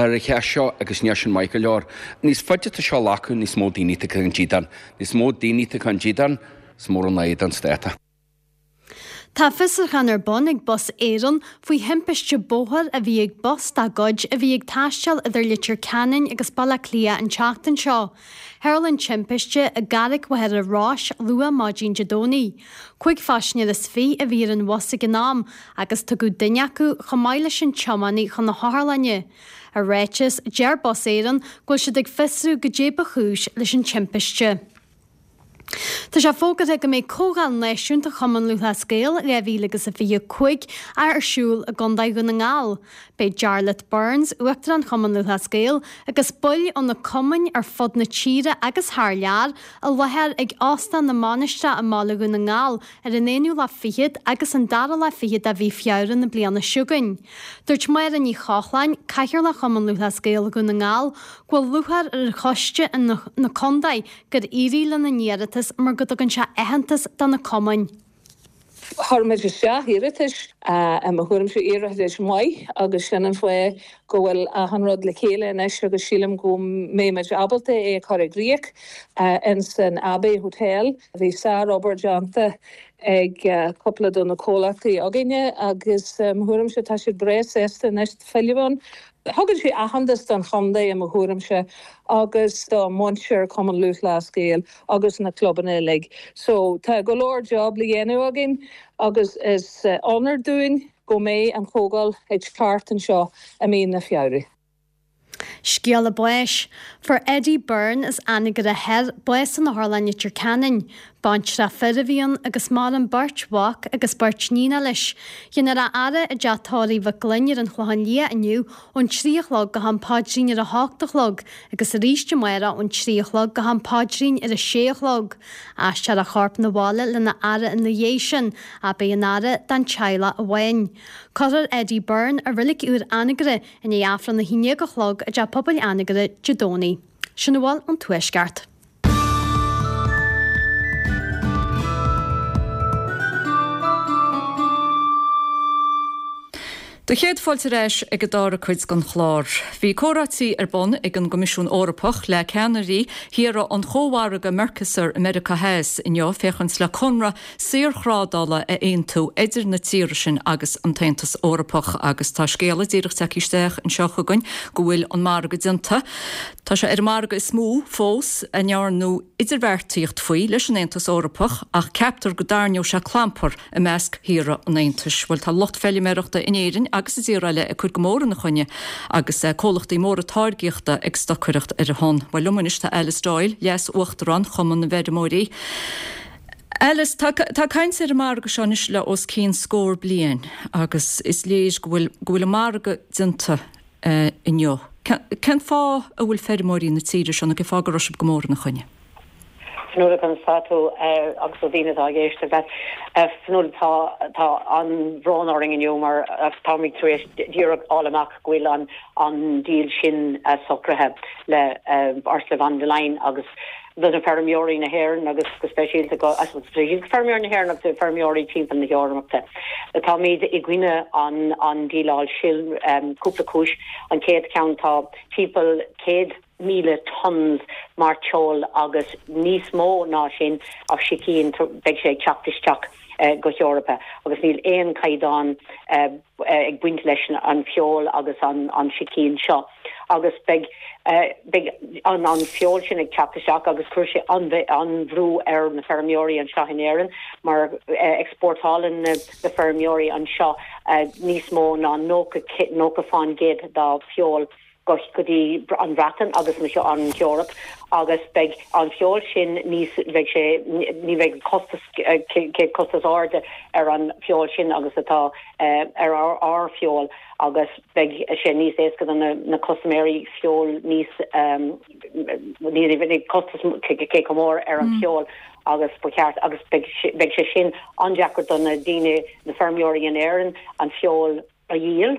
Speaker 10: an cheist seo agus níl sin maith go leor. Níos faide atá seo a ghlacadh, níos mó daoine atá chun dídean. Níos mó daoine atá chun dídean, Is mór an fhadhb don stát.
Speaker 8: Tá fiosrúchán ar bun ag Bus Éireann faoi thimpiste bóthair a bhí ag bus dá gcuid a bhí ag taisteal idir Leitir Ceanainn agus Baile Átha Cliath an tseachtain seo. Tharla an timpiste i gCarraig Mhachaire Rois luath maidin Dé Domhnaigh. 25 phaisinéir a bhí ar an bhus ag an am agus tugadh duine acu chomh maith leis an tiománaí chun na hotharlainne. I ráiteas, deir Bus Éireann go bhfuil siad ag fiosrú goidé ba chúis leis an timpiste. Tá sé fógartha go mbeidh Comhdháil Náisiúnta Chumann Lúthchleas Gael 2025 ar siúl i gContae Dhún na nGall. Beidh Jarlath Burns, Uachtarán Chumann Lúthchleas Gael, agus baill ó na cumainn ar fud na tíre agus thar lear i láthair ag Óstán na Mainistreach i mBaile Dhún na nGall ar an aonú lá fichead agus an dara lá fichead de mhí Feabhra na bliana seo chugainn. Dúirt Máire Ní Chochláin, Cathaoirleach Chumann Lúthchleas Gael Dhún na nGall, go bhfuil lúcháir ar choiste na contae gur éirigh lena n-iarratas mar go dtugann sé aitheantas do na cumainn.
Speaker 11: Chuir muid isteach iarratais, i mo thuairimse, iarratais maith agus sin an fáth go bhfuil achan rud le chéile anois agus sílim go mbeidh muid ábalta é a chur i gcrích ins an Abbey Hotel. Bhí sár-obair déanta ag cúpla de na comhlachtaí againne agus i mo thuairimse tá siad breá sásta anois filleadh ann. Tugann sé aitheantas don chontae i mo thuairimse agus do mhuintir Chumann Lúthchleas Gael agus na clubanna uilig. So tá go leor job le dhéanamh againn agus is onóir dúinn go mbeidh an chomhdháil ag teacht anseo i mí na Feabhra.
Speaker 8: Scéala báis. Fuair Eddie Byrne as Anagaire Thoir bás in Otharlann Leitir Ceanainn. Baintreach fir a bhí ann agus maireann beirt mhac agus beirt níonach leis. Déanfar a fhaire i dteach tórraimh Mhic Gloinn ar an Chlochán Liath inniu ón 3 a chlog go ham paidrín ar a hocht a chlog agus arís amárach ón 3 a chlog go ham paidrín ar a sé a chlog. Aistreofar a chorp 'na bhaile lena fhaire ina dhiaidh sin, ach beidh an fhaire don teaghlach amháin. Cuirfear Eddie Byrne i Reilig Úr Anagaire i ndiaidh Aifreann a 11 a chlog i dTeach Pobail Anagaire Dé Domhnaigh. Sin a bhfuil ón Tuaisceart.
Speaker 1: Do chéad fáilte ar ais ag an dara cuid den chlár. Bhí comhráití ar bun ag an gCoimisiún Eorpach le ceannairí thíortha an chómhargaidh Mercosur i Meiriceá Theas inniu féachaint le conradh saorthrádála a aontú idir na tíortha sin agus an tAontas Eorpach agus tá scéala díreach tagtha isteach anseo chugainn go bhfuil an margadh déanta. Tá sé ar an margadh is mó fós a ndearnadh idirbheartaíocht faoi leis an Aontas Eorpach ach ceaptar go dtarraingeoidh sé clampar i measc thíortha an Aontais. Bhuel, tá lucht feilméarachta in Éirinn agus i dtíortha eile ag cur go mór ina choinne agus comhlachtaí móra táirgíochta ag stocaireacht ar a shon. Bhuel, liom anois tá Alice Doyle, Leas-Uachtarán Chumann na bhFeirmeoirí. Alice, tá tá caint ar an margadh seo anois le os cionn scór bliain agus is léir go bhfuil go bhfuil an margadh déanta inniu. Cén fáth a bhfuil feirmeoirí na tíre seo, nó cén fáth go raibh sibh go mór ina choinne?
Speaker 12: Fionnuala, conas tá tú agus do dhaoine atá ag éisteacht leat. Fionnuala, tá tá an-bhrón orainn inniu mar táimid tar éis díreach fháil amach go bhfuil an an deal sin socraithe le Ursula von der Leyen agus do na feirmeoirí na hÉireann agus go speisialta go speisialta feirmeoirí na hÉireann agus feirmeoirí timpeall na hEorpa. Táimid i gcoinne an an díleáil sin cúpla cúis. An chéad cheann tá timpeall 100 1,000 tons mairteoil agus níos mó ná sin of sicín beidh sé ag teacht isteach go hEorpa agus níl aon caighdeán ag baint leis an feoil agus an sicín seo agus beidh beidh an an feoil sin ag teacht isteach agus cuirfidh sé an-bhrú ar na feirmeoirí anseo in Éirinn mar exportálann na feirmeoirí anseo níos mó ná 90 90 fán gcéad dá feoil go dtí an Bhreatain agus an Eoraip agus beidh an feoil sin níos, beidh sé, ní bheidh costas, cé costas ard ar an feoil sin agus atá ar ár feoil agus beidh sé níos éasca do na custaiméirí feoil níos, ní bheidh costas cé chomh mór ar an feoil agus ba cheart agus beidh beidh sé sin an-deacair do na daoine, na feirmeoirí in Éirinn an feoil a dhíol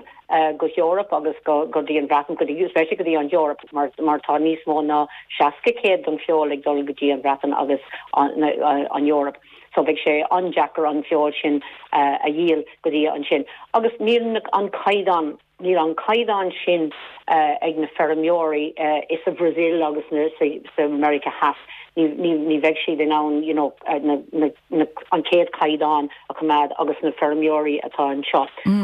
Speaker 12: go hEoraip agus go dtí an Bhreatain, go dtí, especially go dtí an Eoraip mar mar tá níos mó ná 60 céad den feoil ag dul go dtí an Bhreatain agus an Eoraip. So beidh sé an-deacair an feoil sin a dhíol go dtí ansin. Agus níl an caighdeán, níl an caighdeán sin ag na feirmeoirí i sa Bhrasaíl agus sa Meiriceá Theas. Ní ní bheidh siad in ann you know na na an chéad caighdeán a choimeád agus na feirmeoirí atá anseo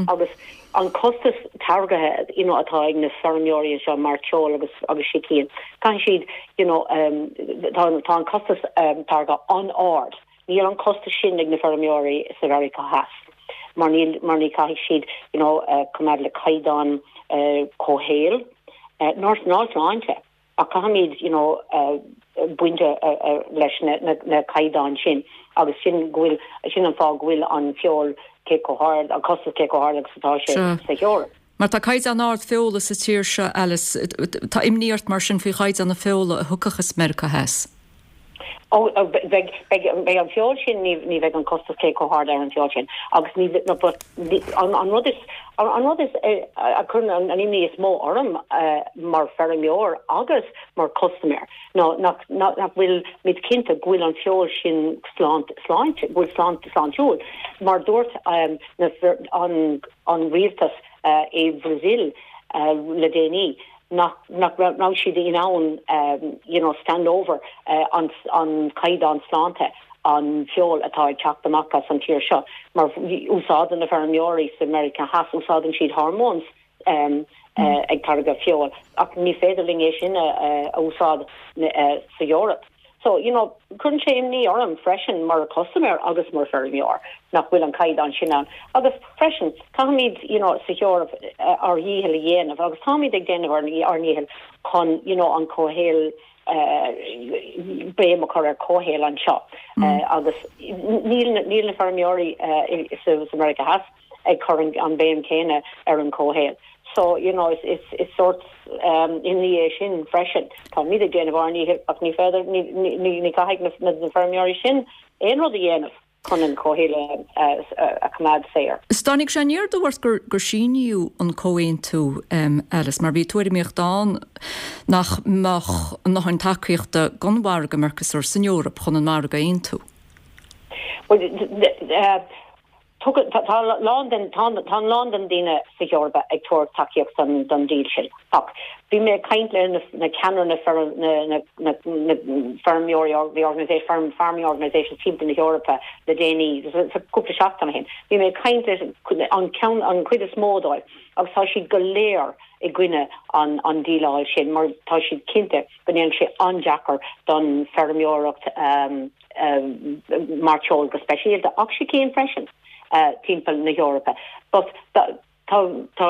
Speaker 12: agus an costas táirgthe you know atá ag na feirmeoirí anseo mairteoil agus agus sicín caithfidh siad you know tá tá an costas táirgthe an-ard. Níl an costas sin ag na feirmeoirí sa Mheiriceá Theas mar níl mar ní caithfidh siad you know coimeád le caighdeán comhshaoil ná ná sláinte. Ach caithfimid you know baint leis na caighdeáin sin agus sin go bhfuil, sin an fáth go bhfuil an feoil cé chomh hard, an costas cé chomh hard agus atá sé sa
Speaker 1: hEoraip. Mar tá caighdeán ard feola sa tír seo, Alice. Tá imní ort mar sin faoi chaighdeán na feola a thiocfadh as Meiriceá Theas?
Speaker 12: Ó, beidh, beidh, beidh an feoil sin, ní, ní bheidh an costas cé chomh hard ar an feoil sin agus ní, no, but an, an rud is, an rud is, a chuireann an, an imní is mó orm mar feirmeoir agus mar custaiméir ná nach, nach, nach bhfuil muid cinnte go bhfuil an feoil sin sláint, sláinte, go bhfuil sláint, sláintiúil. Mar dúirt na, an, an rialtas i Brazil le déanaí, nach nach raibh siad in ann you know stand over an an caighdeán sláinte an feoil atá ag teacht amach as an tír seo mar úsáideann na feirmeoirí sa Meiriceá Theas úsáideann siad hormones ag táirgeadh feoil ach ní féidir linn é sin a a úsáid sa Eoraip. So, you know, cuireann sé imní orm freisin mar chustaiméir agus mar feirmeoir nach bhfuil an caighdeán sin ann. Agus freisin, caithfimid, you know, sa hEoraip ár dhícheall a dhéanamh agus táimid ag déanamh ár ndícheall chun, you know, an comhshaol, béim a chur ar comhshaol anseo. Agus níl, níl na feirmeoirí sa Meiriceá Theas, ag cur an béim céanna ar an comhshaol. So, you know, is is sórt imní é sin freisin. Táimid ag déanamh ár ndícheall ach ní féidir, ní ní ní caithfidh na na feirmeoirí sin aon rud a dhéanamh chun an comhshaol a choimeád saor.
Speaker 1: Is dtáinig sé aniar aduaidh ort gur gur síníodh an comhaontú, Alice, mar bhí tuairimíocht ann nach mbeadh a ndóthain tacaíochta don mhargadh Mercosur san Eoraip chun an margadh a aontú.
Speaker 12: Bhuel, Tugann, tá a lán den, tá a lán den daoine sa hEorpa ag tabhairt tacaíocht don, don deal sin. Ach bhí mé ag caint le na, na ceannairí na feirm, na, na, na, na feirmeoirí, the organisation, farm, farming organisations timpeall na hEorpa le déanaí, sa cúpla seachtain ó shin. Bhí mé ag caint le an ceann, an chuid is mó dóibh agus tá siad go léir i gcoinne an, an díleáil sin mar tá siad cinnte go ndéanfaidh sé an-deacair don feirmeoireacht, mairteoil go speisialta, ach sicín freisin, timpeall na hEorpa. But tá tá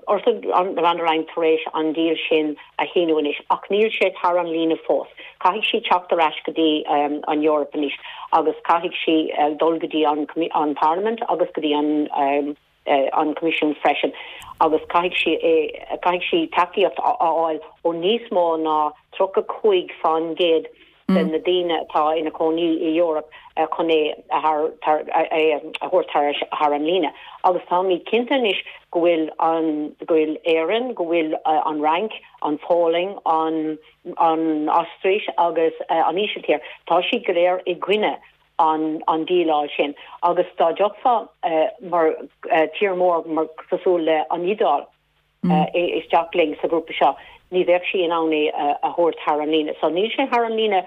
Speaker 12: Ursula von der Leyen tar éis an deal sin a shíniú anois, ach níl sé thar an líne fós. Caithfidh sí teacht ar ais go dtí an Eoraip anois agus caithfidh sí dul go dtí an an Parlaimint agus go dtí an an Coimisiún freisin agus caithfidh sí é caithfidh sí tacaíocht a fháil ó níos mó ná 35 fán gcéad. de na daoine atá ina cónaí i Eoraip chun é a thabhairt thar an líne. Agus táimid cinnte anois go bhfuil an, go bhfuil Éirinn, go bhfuil an Fhrainc, an Pholainn, an an Ostair agus an Ísiltír, tá siad go léir i gcoinne an an díleáil sin. Agus dá dtiocfá mar tír mór mar cosúil le an Iodáil, isteach linn sa ghrúpa seo, ní bheadh sí in ann é a thabhairt thar an líne. So níl sé thar an líne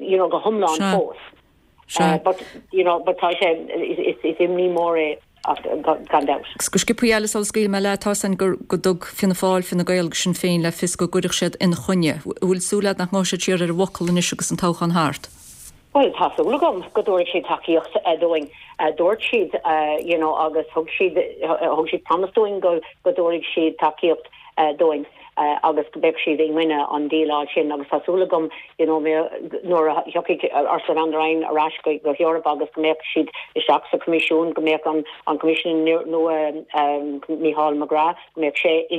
Speaker 12: you know go hiomlán fós. But you know but tá sé is imní mór é ach gan dabht.
Speaker 1: Agus go sciobthaí Alice sula scaoilfidh mé leat, tá 'fhios a'inn go go dtug Fianna Fáil, Fine Gael agus Sinn Féin le fios go gcuirfeadh siad ina choinne. Bhfuil súil agat nach ngabhfaidh siad siar ar an bhfocal anois agus an toghchán thart?
Speaker 12: Bhuel, tá súil agam go dtabharfaidh siad tacaíocht dúinn. Dúirt siad, you know, agus thug siad, thug siad promise dúinn go, go dtabharfaidh siad tacaíocht dúinn agus go mbeadh siad i gcoinne an díleáil sin agus tá súil agam, you know, nuair a thiocfaidh Ursula von der Leyen ar ais go, go hEoraip agus go mbeadh siad isteach sa Choimisiún, go mbeadh an, an Coimisinéir nua, Michael McGrath, go mbeadh sé i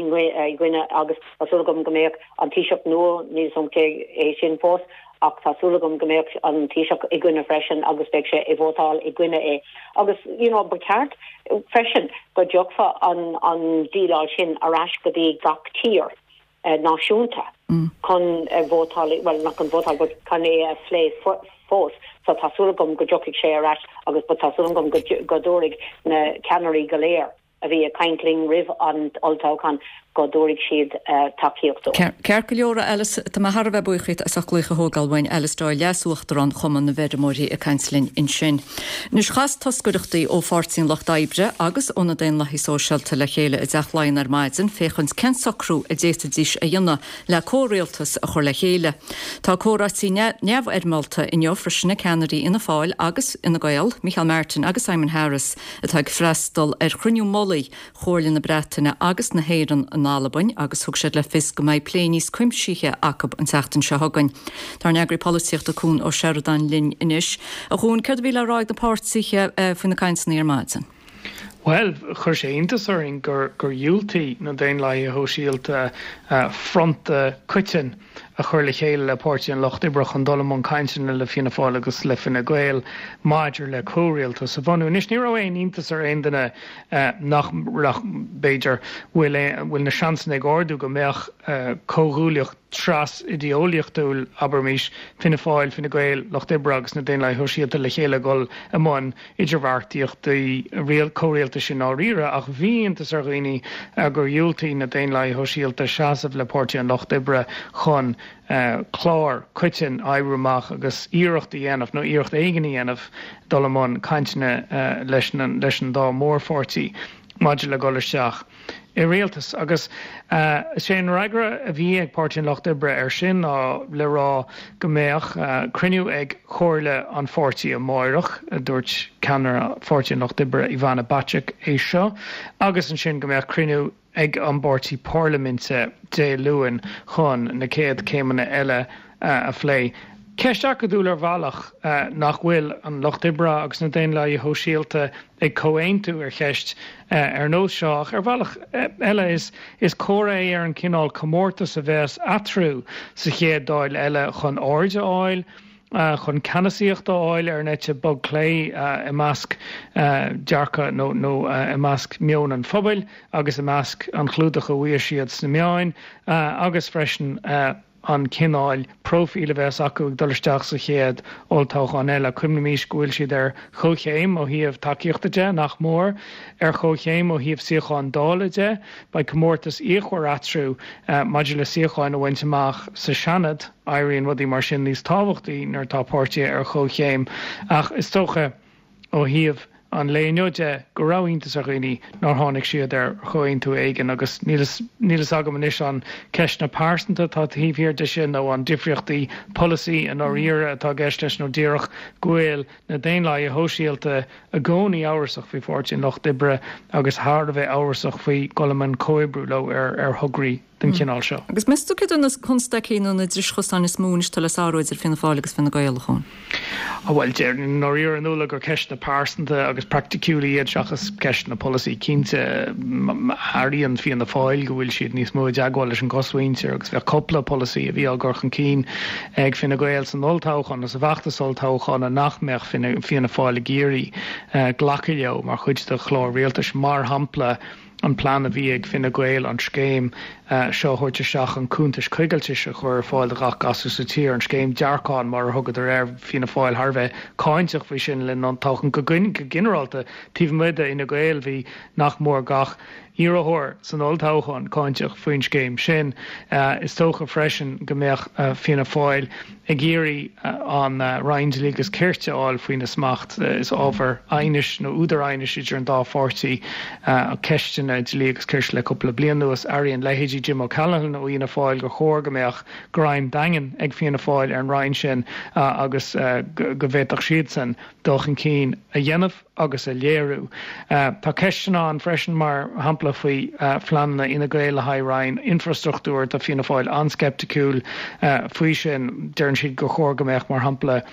Speaker 12: gcoinne agus tá súil agam go mbeadh an Taoiseach nua, níl 'fhios a'm cé é sin fós, ach tá súil agam go mbeadh an Taoiseach i gcoinne freisin agus beidh sé ag vótáil i gcoinne é. Agus you know ba cheart freisin go dtiocfadh an an díleáil sin ar ais go dtí gach tír náisiúnta chun vótáil, bhuel not chun vótáil but chun é a phlé fós. So tá súil agam go dtiocfaidh sé ar ais agus but tá súil agam go go dtabharfaidh na ceannairí go léir a bhí ag caint linn roimh an olltoghchán go dtabharfaidh siad tacaíocht dúinn.
Speaker 1: Ceart go leor, a Alice, tá mé thar a bheith buíoch díot as ucht glaoch a thógáil uainn. Alice Doyle, Leas-Uachtarán Chumann na bhFeirmeoirí ag caint linn ansin. Anois, chas toscaireachtaí ó Pháirtí an Lucht Oibre agus ó na Daonlathaigh Sóisialta le chéile i dTeach Laighean ar maidin féachaint cén socrú a d'fhéadfaidís a dhéanamh le comhrialtas a chur le chéile. Tá comhráití neamhfhoirmeálta inniu freisin ag ceannairí Fhianna Fáil agus Fhine Gael, Micheál Martin agus Simon Harris, atá ag freastal ar chruinniú mullaigh Chomhairle na Breataine agus na hÉireann in Albain agus thug siad le fios go mbeidh plé níos cuimsithí acu an tseachtain seo chugainn. Tá ár n-eagraí polaitíochta Cuan Ó Seireadáin linn anois. A Chuain, céard a bhí le rá ag na páirtithe faoi na cainteanna ar maidin?
Speaker 13: Bhuel, chuir sé iontas orainn gur dhiúltaigh na Daonlathaithe Shóisialta fronta coiteann a chur le chéile le Páirtí an Lucht Oibre chun dul i mbun cainteanna le Fianna Fáil agus le Fine Gael maidir le comhrialtas a bhunú. Anois, ní raibh aon iontas ar aon duine nach, nach, b'fhéidir, bhfuil, bhfuil na seansanna ag ardú go mbeadh comhghuaillíocht tras-idé-eolaíochtúil, abraimis, Fianna Fáil, Fine Gael, Lucht Oibre agus na Daonlathaithe Shóisialta le chéile ag dul i mbun idirbheartaíochtaí comhrialtais i ndáiríre, ach bhí iontas ar dhaoine gur dhiúltaigh na Daonlathaithe Shóisialta seasamh le Páirtí an Lucht Oibre chun clár coiteann a oibriú amach agus iarracht a dhéanamh, nó iarracht éigin a dhéanamh, dul i mbun cainteanna leis an dá mhórpháirtí maidir le dul isteach. i rialtas. Agus is é an fhreagra a bhí ag Páirtí an Lucht Oibre air sin ná le rá go mbeadh cruinniú ag Comhairle an pháirtí amáireach, dúirt ceannaire Pháirtí an Lucht Oibre Ivana Bacik é seo, agus ansin go mbeadh cruinniú ag an bpáirtí parlaiminte Dé Luain chun na céad céimeanna eile a phlé. Ceist acadúil ar bhealach nach bhfuil an Lucht Oibre agus na Daonlathaithe Shóisialta ag comhaontú ar cheist ar nós seo ach ar bhealach eile is is comhartha é ar an cineál comórtas a bheas eatarthu sa chéad Dáil eile chun aird a fháil, chun ceannasaíocht a fháil ar an eite bog clé i measc dearcadh nó nó i measc meon an phobail agus i measc an chlúdach a bhfaigheann siad sna meáin agus freisin an cineál próifíl a bheas acu ag dul isteach sa chéad olltoghchán eile. Cuimhnímís go bhfuil siad ar chomhchéim ó thaobh tacaíochta de, nach mór, ar chomhchéim ó thaobh suíocháin Dála de. Beidh comórtas fíochmhar eatarthu maidir le suíocháin a bhaint amach sa Seanad. Éiríonn rudaí mar sin níos tábhachtaí nuair atá páirtithe ar chomhchéim. Ach is dócha, ó thaobh an lae inniu de, go raibh iontas ar dhaoine nár tháinig siad ar chomhaontú éigin agus níl fhios agam anois an ceisteanna pearsanta atá taobh thiar de sin nó an difríochtaí polasaí i ndáiríre atá i gceist leis nó díreach go bhfuil na Daonlathaithe Shóisialta i gcónaí amhrasach faoi Pháirtí an Lucht Oibre agus thar a bheith amhrasach faoi dhul i mbun comhoibriú leo ar thograí den chineál seo.
Speaker 1: Agus meas tú céard iad na constaicí nó na driseacha is mó anois atá le sárú idir Fianna Fáil agus Fine Gael, a Chuain?
Speaker 13: Bhuel, déarfainn i ndáiríre, a Nuala, gur ceisteanna pearsanta agus praiticiúla iad seachas ceisteanna polasaí. Cinnte, airíonn Fianna Fáil go bhfuil siad níos mó i dteagmháil leis an gcosmhuintir agus bheadh cúpla polasaí a bhí á gcur chun cinn ag Fine Gael san olltoghchán nó sa bhfeachtas olltoghcháin nach mbeadh Fianna Fáil ag iarraidh glacadh leo mar chuid de chlár rialtais. Mar shampla, an plean a bhí ag Fine Gael an scéim seo a thabhairt isteach chun cuntais coigiltis a chur ar fáil do ghach gasúr sa tír, an scéim dearcán mar a thugadar air. Fianna Fáil thar a bheith cáinteach faoi sin le linn an toghcháin. Go ginearálta, taobh amuigh de Fhine Gael, bhí nach mór gach iarrthóir san olltoghchán cáinteach faoin scéim sin. Is dócha freisin go mbeadh Fianna Fáil ag iarraidh an Roinn Dlí agus Cirt a fháil faoina smacht. Is ábhar aighnis nó údar aighnis idir an dá pháirtí ceisteanna dlí agus cirt le cúpla bliain anuas. Airíonn leithéidí Jim O'Callaghan ó Fhianna Fáil gur chóir go mbeadh greim daingean ag Fianna Fáil ar an Roinn sin agus go bhféadfadh siadsan dul chun cinn a dhéanamh. agus a léiriú. Tá ceisteanna ann freisin, mar shampla faoi phleananna Fhine Gael le haghaidh Roinn Infrastruchtúir. Tá Fianna Fáil an-sceipticiúil faoi sin. Deireann siad gur chóir go mbeadh, mar shampla,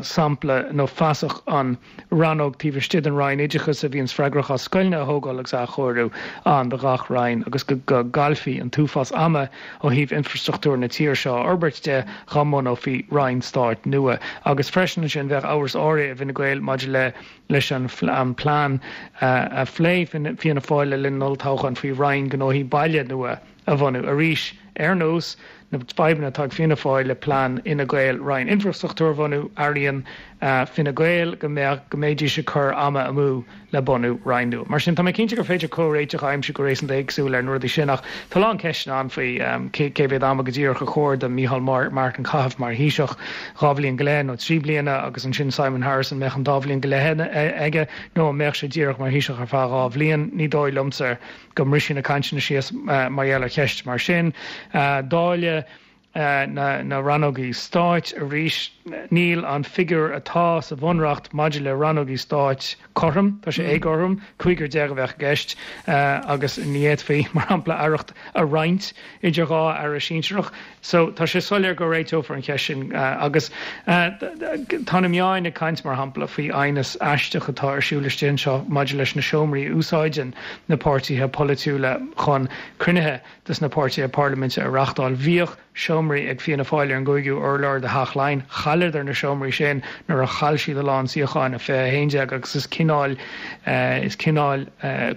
Speaker 13: sampla nó feasach an rannóg taobh istigh den Roinn Oideachais a bhíonns freagrach as scoileanna a thógáil agus a athchóiriú ann do ghach roinn agus go gcaillfí an t-uafás ama ó thaobh infrastruchtúr na tíre seo a fhorbairt de dá mbunófaí roinn stáit nua. Agus freisin ansin bheadh amhras áirithe i bhFine Gael maidir le leis an plean a phléigh Fianna Fáil le linn an olltoghcháin faoi Roinn Gnóthaí Baile nua a bhunú. Arís, ar nós na fadhbanna atá ag Fianna Fáil le plean Fhine Gael Roinn Infrastruchtúir a bhunú, airíonn Fine Gael go mbeadh go mbeidís ag cur ama amú le bunú Roinn nua. Mar sin, tá mé cinnte gur féidir comhréiteach a aimsiú go réasúnta éagsúil ar na rudaí sin, ach tá a lán ceisteanna ann faoi cé mhéad ama go díreach ar chóir do Micheál Martin caitheamh mar Thaoiseach, 2 bhliain go leith nó 3 bliana, agus ansin Simon Harris, an mbeadh an dá bhliain go leith aige nó an mbeadh sé díreach mar Thaoiseach ar feadh 2 bhliain? Ní dóigh liomsa go mbrisfidh na cainteanna síos mar gheall ar cheist mar sin. Dáileadh na rannógaí stáit arís. Níl an figiúr atá sa Bhunreacht maidir le rannógaí stáit cothrom, tá sé éagothrom, 15 a bheadh i gceist agus ní fhéadfaí, mar shampla, aireacht a roinnt idir 2 aire sinsearach. So tá sé soiléir go réiteofar an cheist sin agus tá na meáin ag caint, mar shampla, faoi aighneas aisteach atá ar siúl istigh anseo maidir leis na seomraí a úsáideann na páirtithe polaitiúla chun cruinnithe dos na páirtithe parlaiminte a reachtáil. Bhíodh seomraí ag Fianna Fáil ar an gcúigiú urlár de Theach Laighean. Chailleadar na seomraí sin nuair a chaill siad a lán suíocháin, 2011, agus is cineál, is cineál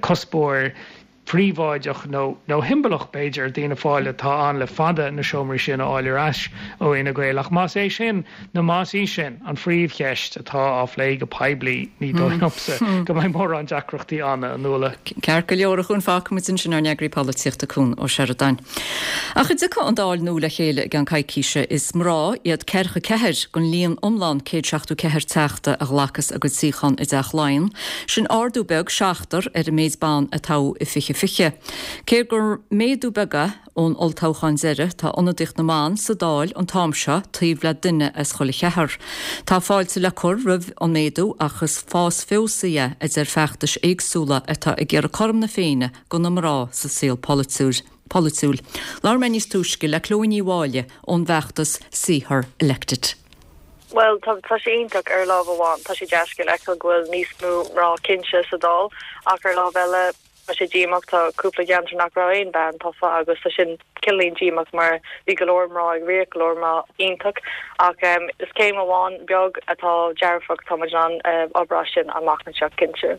Speaker 13: cuspóir príobháideach nó nó shiombalach, b'fhéidir, d'Fhianna Fáil atá ann le fada na seomraí sin a fháil ar ais ó Fhine Gael. Ach más é sin nó más í sin an phríomhcheist atá á phlé go poiblí, ní dóigh liomsa go mbeidh mórán deacrachtaí ann, a Nuala.
Speaker 1: Ceart go leor, a Chúin, fágfaimid ansin ár n-eagraí polaitíochta Cún Ó Seireadáin. Ach a dtiocfaidh an Dáil nua le chéile i gceann coicíse, is mná iad 44 den líon iomlán 174 teachta a ghlacas a gcuid suíochán i dTeach Laighean. Sin ardú beag, seachtar, ar an méid ban a toghadh i 2020. Cé gur méadú beag é, Ón olltoghchán deiridh, tá ionadaíocht na mban sa Dáil an t-am seo taobh le duine as chuile cheathrar. Tá fáilte le cur roimh an méadú ach is fás feabhsaithe é, a deir feachtais éagsúla atá ag iarraidh cothrom na Féinne do na mná sa saol polaitiúil. Labhair mé níos túisce le Chloe Ní Mháille ón bhfeachtas See Her Elected.
Speaker 14: Bhuel, tá, tá sé iontach ar lámh amháin, tá sé dea-scéal a fheiceáil go bhfuil níos mó mná cinnte sa Dáil ach ar lámh eile, Tá sé díomách, tá cúpla ceantar nach raibh aon bhean tofa agus tá sin cineáilín díomách mar bhí go leor mná ag rith, go leor mná iontach ach is céim amháin beag atá dearfach, tá muid in ann obair as sin amach anseo cinnte.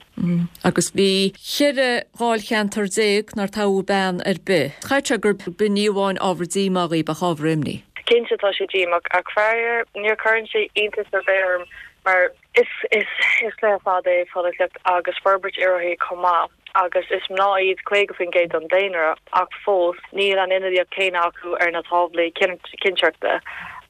Speaker 1: Agus bhí 14 dháilcheantar nár toghadh bean ar bith. Chaithfeadh sé gurb in ní amháin ábhar díomá dhaoibh ach ábhar imní.
Speaker 14: Cinnte tá sé díomách ach faraor níor cuireann sé iontas ar bith orm mar Is cluiche fada é polaitíocht agus forbairt iarrthóirí chomh maith agus is mná iad 50% den daonra ach fós níl an ionadaíocht chéanna acu ar na táblaí cinnteoireachta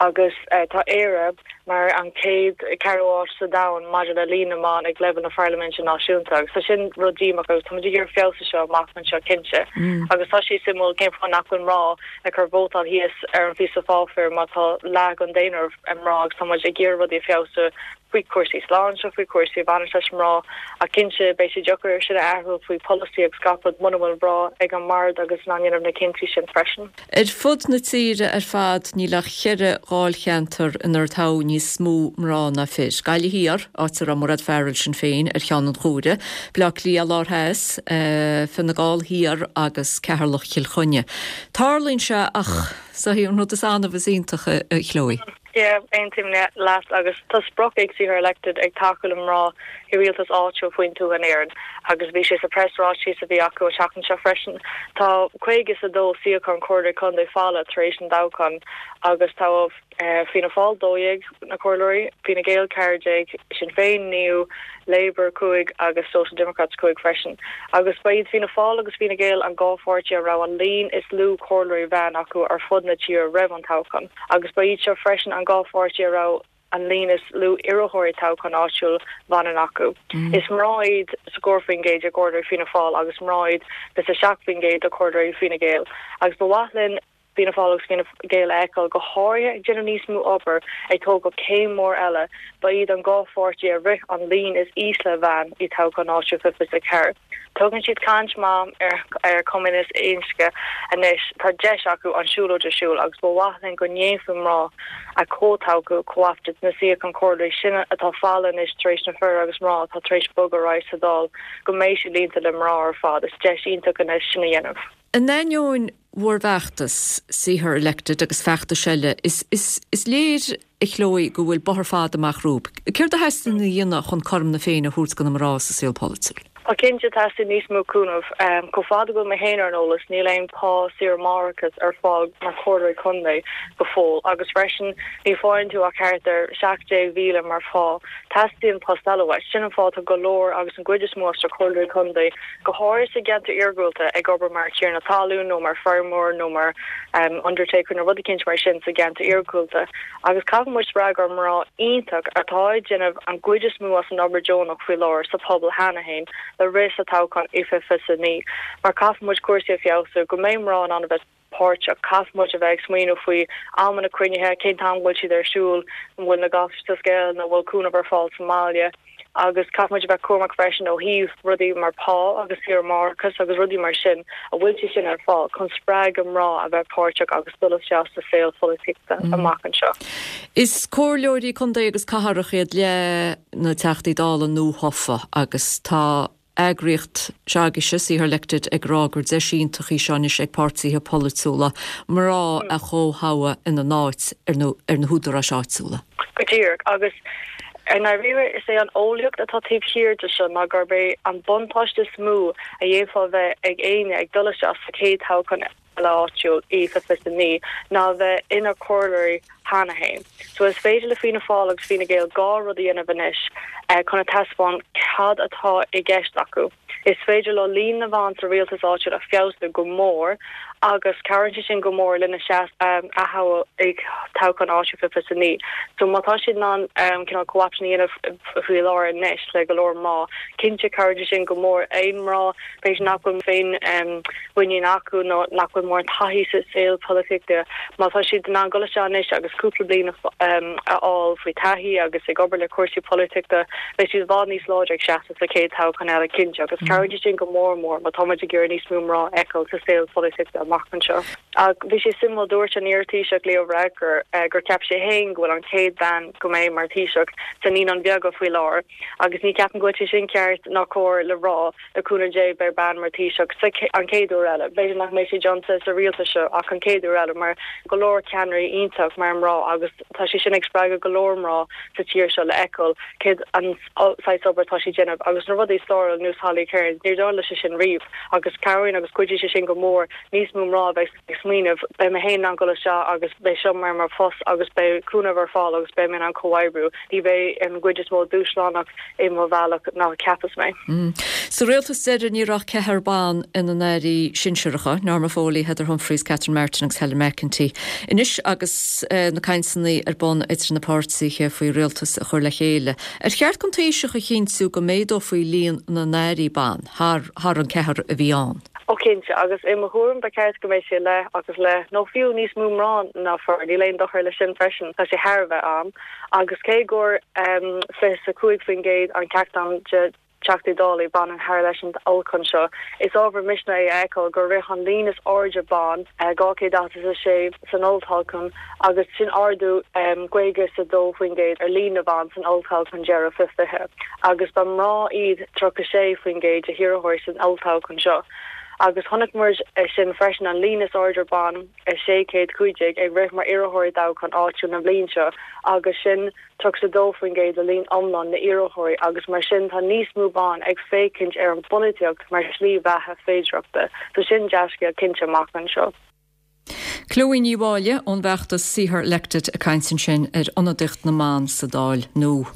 Speaker 14: agus tá Éire mar an chéad ceathrú áit sa domhan maidir le líon na mban ag leibhéal na pharlaiminte náisiúnta agus tá sin rud díomách agus tá muid ag iarraidh feabhas seo amach anseo cinnte agus tá sé suimiúil cén fáth nach bhfuil mná ag cur vótáil thíos ar an phíosa pháipéir má tá leath den daonra mná agus tá muid ag iarraidh rudaí a feabhsú faoi chúrsaí sláinte, faoi chúrsaí a bhaineann leis mná ach cinnte beidh sé deacair sin a athrú faoi polasaí agus gach rud muna bhfuil mná ag an mbord agus in ann dhéanamh na cinntí sin freisin.
Speaker 1: Ar fud na tíre ar fad níl ach cheithre dháilcheantar inar toghadh níos. níos mó mná ná fir, Gaillimh Thiar, áit a raibh Mairéad Farrell, Sinn Féin, ar cheann an chomhairimh, Baile Átha Cliath Lár Theas, Fine Gall Thiar agus Ceatharlach Chill Chainnigh. Tarlaíonn sé ach is é an rud is annamh is iontach, a Chloe.
Speaker 14: Yeah, aontaím leat agus tá sprioc ag See Her Elected ag tacú le mná i rialtas áitiúil faoin tuath in Éirinn agus bhí sé sa preasráiteas a bhí acu an tseachtain seo freisin. Tá 52 suíochán comhairleoirí contae folamh tar éis an toghcháin agus tá Fianna Fáil 12 na comhairleoirí, Fine Gael 14, Sinn Féin 9, Labour 5 agus Social Democrats 5 freisin. Agus ba iad Fianna Fáil agus Fine Gael an dhá pháirtí a raibh an líon is lú comhairleoirí bhan acu ar fud na tíre roimh an toghchán. Agus ba iad seo freisin an dhá pháirtí a raibh an líon is lú iarrthóirí toghchán áitiúil bhaineann acu. Is mná iad 40% de chomhairleoirí Fianna Fáil agus mná iad 27% de chomhairleoirí Fine Gael. Agus ba mhaith linn Fianna Fáil agus Fine Gael a fheiceáil, go háirithe ag déanamh níos mó obair ag tógáil céim mór eile. Ba iad an dhá pháirtí a rith an líon is ísle bhan i toghchán áitiúil 2024. Tugann siad caint maith ar ar comhionannas inscne anois, tá deis acu an siúlóid a siúl agus ba mhaith linn go ndéanfaí mná a chomhthoghadh co-opted na suíocháin comhairleoirí sin atá folamh anois tar éis na fir agus mná atá tar éis bogadh ar aghaidh sa Dáil go mbeidh siad líonta le mná ar fad. Is deis iontach anois sin a dhéanamh.
Speaker 1: In ainneoin bhur bhfeachtas, See Her Elected agus feachtais eile, is is is léir, a Chloe, go bhfuil bóthar fada amach romhaibh. Céard a theastaíonn a dhéanamh chun cothrom na Féinne a thabhairt do na mná sa saol polaitiúil?
Speaker 14: Tá cinnte, teastaíonn níos mó cúnamh. Chomh fada go bhfuil mé féin ar an eolas, níl aon pá saoire máithreachais ar fáil mar chomhairleoirí contae go fóill agus freisin ní faigheann tú ach thart ar 17,000 mar phá. Teastaíonn post eile uait. Sin an fáth tá go leor agus an gcuid is mó as na comhairleoirí contae, go háirithe sa gceantar iargúlta, ag obair mar thiarna talún nó mar feirmeoir nó mar undertaker nó rud eicínt mar sin sa gceantar iargúlta. Agus caithfidh muid spreagadh ár mná iontach atá ag déanamh an gcuid is mó as an obair deonach faoi láthair sa pobal cheana féin le rith sa toghchán i 2029 mar caithfidh muid cúrsaí a feabhsú go mbeidh mná in ann a bheith páirteach. Caithfidh muid a bheith ag smaoineamh faoi amanna cruinnithe, cén t-am go bhfuil siad ar siúl, an bhfuil na gasúir sa scoil nó an bhfuil cúnamh ar fáil sa mbaile agus caithfidh muid a bheith cúramach freisin ó thaobh rudaí mar pá agus saoire máithreachais agus rudaí mar sin, an bhfuil sé sin ar fáil chun spreagadh mná a bheith páirteach agus dul isteach sa saol polaitíochta amach anseo.
Speaker 1: Is comhairleoirí contae agus cathrach iad leath na Teachtaí Dála nuathofa agus tá eagraíocht s'agaibhse, See Her Elected, ag rá gur deis iontach í seo anois ag páirtithe polaitiúla mná a chomhthoghadh ina n-áit ar na húdaráis áitiúla.
Speaker 14: Go díreach. Agus i ndáiríre, is é an eolaíocht atá taobh thiar de seo ná gurb é an buntáiste is mó a d'fhéadfá a bheith ag éinne ag dul isteach sa chéad toghchán eile áitiúil i 2029 ná a bheith ina comhairleoirí cheana féin. So is féidir le Fianna Fáil agus Fine Gael dhá rud a dhéanamh anois chun a taispeáint cad atá i gceist acu. Is féidir leo líon na mban sa rialtas áitiúil a feabhsú go mór agus cabhraíonn sé sin go mór lena seans a aththoghadh i toghchán áitiúil 2029. So má tá siad in ann cineál co-option a dhéanamh faoi láthair anois le go leor mná, cinnte cabhraíonn sé sin go mór. Aon mná b'fhéidir nach bhfuil féin mhuinín acu nó nach bhfuil mórán taithí sa saol polaitíochta, má tá siad in ann dul isteach anois agus cúpla bliain a fháil faoi taithí agus ag obair le cúrsaí polaitíochta, beidh siad i bhfad níos láidre ag seasamh sa chéad toghchán eile, cinnte, agus cabhraíonn sé sin go mór mór má tá muid ag iarraidh níos mó mná a fheiceáil sa saol polaitíochta amach anseo. Ach bhí sé suimiúil, dúirt an iar-Taoiseach Leo Varadkar gur cheap sé féin go bhfuil an chéad bhean go mbeidh mar Thaoiseach sa Naíonáin Bheaga faoi láthair agus ní cheapaim go bhfuil sé sin ceart ná cóir le rá. Le cúnamh Dé beidh bean mar Taoiseach sa an chéad uair eile. B'fhéidir nach mbeidh sé déanta sa rialtas seo ach an chéad uair eile mar go leor ceannairí iontach mar mná agus tá sé sin ag spreagadh go leor mná sa tír seo le fheiceáil céard an saghas obair atá sí déanamh agus na rudaí stairiúil ar nós Holly Cairns níor tharla sé sin riamh agus cabhraíonn agus cuidíonn sé sin go mór níos mó mná a bheith ag smaoineamh, beidh mé féin in ann dul isteach agus beidh seo mar mo phost agus beidh cúnamh ar fáil agus beidh mé in ann comhoibriú. Ní bheidh an gcuid is mó dúshlánach i mo bhealach ná a cheapas mé.
Speaker 1: Sa rialtas deiridh ní raibh ach ceathrar ban ina n-airí sinsearacha, Norma Foley, Heather Humphreys, Catherine Martin agus Helen McEntee. Anois agus na cainteanna ar bun idir na páirtithe faoi rialtas a chur le chéile, ar cheart don Taoiseach a chinntiú go méadófaí líon na n-airí ban thar thar an ceathrar a bhí ann?
Speaker 14: Ó cinnte, agus i mo thuairim ba cheart go mbeidh sé leath agus leath, nó fiú níos mó mná ná fir, níl aon dochar leis sin freisin, tá sé thar a bheith am. Agus cé gur 25% an ceatadán de. Teachtaí Dála baineann thar leis an olltoghchán seo. Is ábhar misnigh é a fheiceáil gur rith an líon is airde ban, 246, san olltoghchán agus sin ardú 52% ar líon na mban san olltoghchán deiridh 2020 agus ba mná iad 36% de hiarrthóirí san olltoghchán seo. Agus chonaic muid sin freisin an líon is airde ban, 615, ag rith mar iarrthóirí i dtoghchán áitiúil na bliana seo agus sin 32% de líon iomlán na n-iarrthóirí agus mar sin tá níos mó ban ag féachaint ar an bpolaitíocht mar shlí bheatha féidearthachta. So sin dea-scéal cinnte amach anseo.
Speaker 1: Chloe Ní Mháille ón bhfeachtas See Her Elected ag caint ansin ar ionadaíocht na mban sa Dáil nua.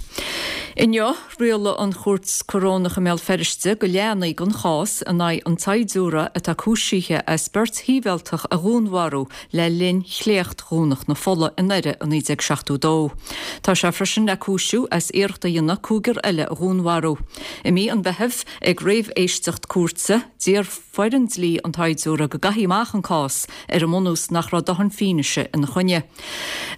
Speaker 1: Inniu, rialaigh an Chúirt Corónach i mBéal Feirste go leanfaí den chás in aghaidh an tsaighdiúra atá cúisithe as beirt shibhialtach a dhúnmharú le linn Shléacht Dhomhnach na Fola i nDoire i 1972. Tá sé freisin le cúisiú as iarracht a dhéanamh cúigear eile a dhúnmharú. I mí an Mheithimh, ag réamhéisteacht cúirte, d'iarr foireann dlí an tsaighdiúra go gcaithfí amach an cás ar an mbunús nach raibh dóthain fianaise ina choinne.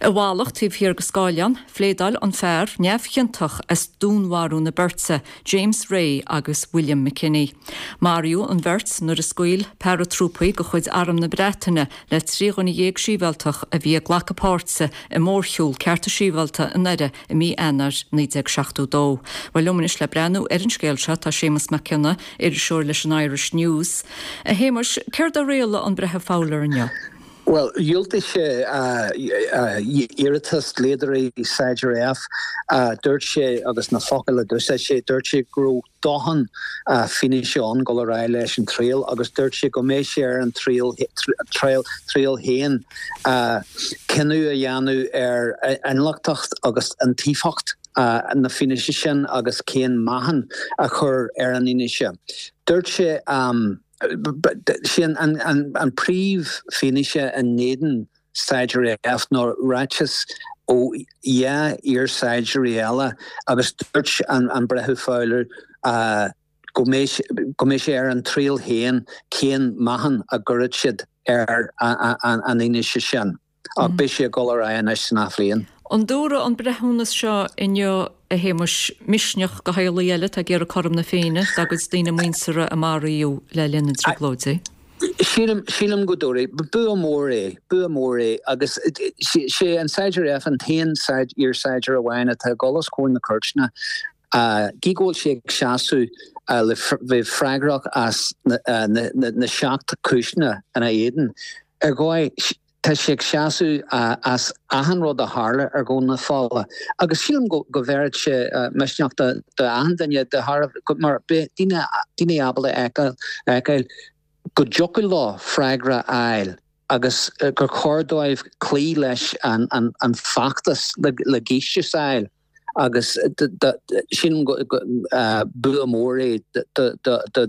Speaker 1: I bhfalach taobh thiar de scáileán, phléadáil an fear neamhchiontach as dúnmharú na beirte, James Ray agus William McKinney. Maraíodh an bheirt nuair a scaoil paratrúpaí de chuid Arm na Breataine le 13 dhuine sibhialtach a bhí ag glacadh páirte i mórshiúl cearta sibhialta i nDoire i mí Eanáir 1972. Bhuel, liom anois le breathnú ar an scéal seo tá Séamus Mac Cionnaith, iriseoir leis an Irish News. A Shéamuis, céard a rialaigh an Breitheamh Fowler inniu?
Speaker 15: Bhuel, dhiúltaigh sé iarratas dlíodóirí Saighdiúir F. Dúirt sé, agus na focail a d'úsáid sé, dúirt sé go raibh dóthain fianaise ann dul ar aghaidh leis an triail agus dúirt sé go mbeidh sé ar an triail triail féin cinneadh a dhéanamh ar inghlacthacht agus iontaofacht na fianaise sin agus cén meáchan a chur ar an fhianaise. Dúirt sé, sé an príomhfhianaise in éadan Saighdiúir F ná ráiteas ó 12 iar-shaighdiúirí eile agus dúirt an Breitheamh Fowler go mbeidh sé ar an triail féin cén meáchan a gcuirfidh siad ar an fhianaise sin. Ach beidh sé ag dul ar aghaidh anois san athbhliain.
Speaker 1: An dtabharfaidh an breithiúnas seo inniu, a Shéamuis, misneach do theaghlaigh eile atá ag iarraidh cothrom na Féinne dá gcuid daoine muinteartha a maraíodh le linn na dTrioblóidí?
Speaker 15: Sílim, sílim go dtabharfaidh. Bua mór é, bua mór é agus sé an Saighdiúir F an t-aon iar-shaighdiúir amháin atá ag dul os comhair na cúirteanna. Gí go bhfuil sé ag seasamh le bheith freagrach as na seacht cúiseanna ina éadan. Ar dhóigh, tá sé ag seasamh as achan rud a tharla ar Dhomhnach na Fola agus sílim go bhféadfadh sé misneach do achan duine de thairbhe mar beidh daoine ábalta a fheiceáil go dtiocfadh leo freagra a fháil agus gur chóir dóibh cloí leis an feachtas le giúistis a fháil. Agus sílim go bua mór é do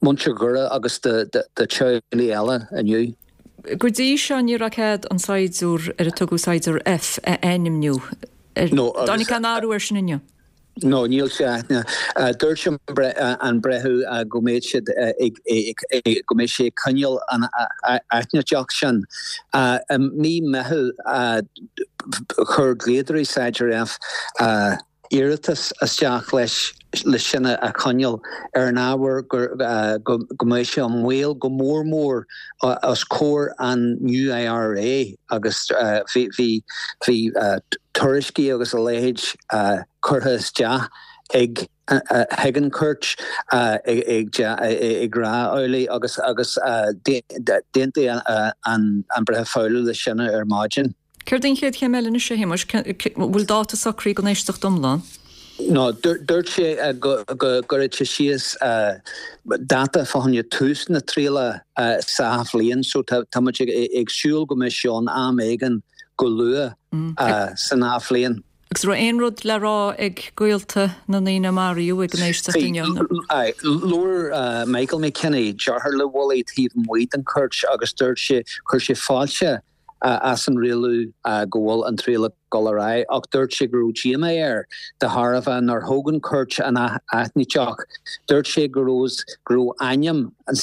Speaker 15: mhuintir Dhoire agus do teaghlaigh eile inniu.
Speaker 1: Go dtí seo ní raibh cead an saighdiúir ar a tugadh Saighdiúir F a ainmniú. Ar tháinig aon athrú air sin inniu?
Speaker 15: No, níl sé aithne. Dúirt an breitheamh go mbeidh siad ag, go mbeidh sé ag coinneáil an aithnideacht sin. I mí Meitheamh chuir dlíodóirí Saighdiúir F iarratas isteach leis leis sin a choinneáil ar an ábhar go mbeadh sé i mbaol go mór mór os comhair an New IRA agus bhí bhí tuairiscí agus a leithéid curtha isteach ag chuig an chúirt ag rá amhlaidh agus agus d'aontaigh an Breitheamh Fowler leis sin ar maidin.
Speaker 1: Céard í an chéad chéim eile anois, a Shéamuis? Bhfuil dáta socraithe don éisteacht iomlán?
Speaker 15: No, dúirt sé go gcuirfeadh sé síos dáta fá choinne tús na triala sa athbhliain so tá muid ag súil go mbeidh sé ann am éigin go luath san athbhliain.
Speaker 1: Agus raibh aon rud le rá ag gaolta na ndaoine a maraíodh ag an éisteacht inniu?
Speaker 15: Aye, labhair Michael McKinney, deartháir le Willie, taobh amuigh den chúirt agus dúirt sé, chuir sé fáilte as an rialú go bhfuil an triail ag dul ar aghaidh ach dúirt sé go raibh díomá air de thairbhe nár thóg an chúirt an aithnideacht. Dúirt sé go raibh go raibh ainm an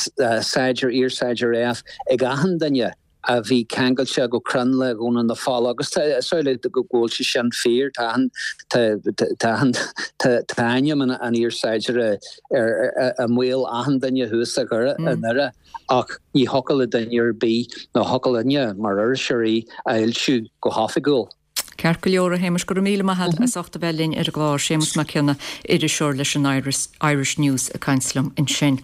Speaker 15: saighdiúir, iar-saighdiúir F ag achan duine. a bhí ceangailte go cruinn le Dhomhnall na Fola agus tá is amhlaidh go bhfuil sé sin fíor, tá an tá an tá ainm an iar-saighdiúra ar i mbéal achan duine thuas i nDoire ach ní thiocfadh le duine ar bith nó thiocfadh linne mar iriseoirí a fhoilsiú go hoifigiúil.
Speaker 1: Ceart go leor, a Shéamais, go raibh míle maith agat as ucht a bheith linn ar an gclár. Séamus Mac Cionnaith, iriseoir leis an Irish News ag caint liom ansin.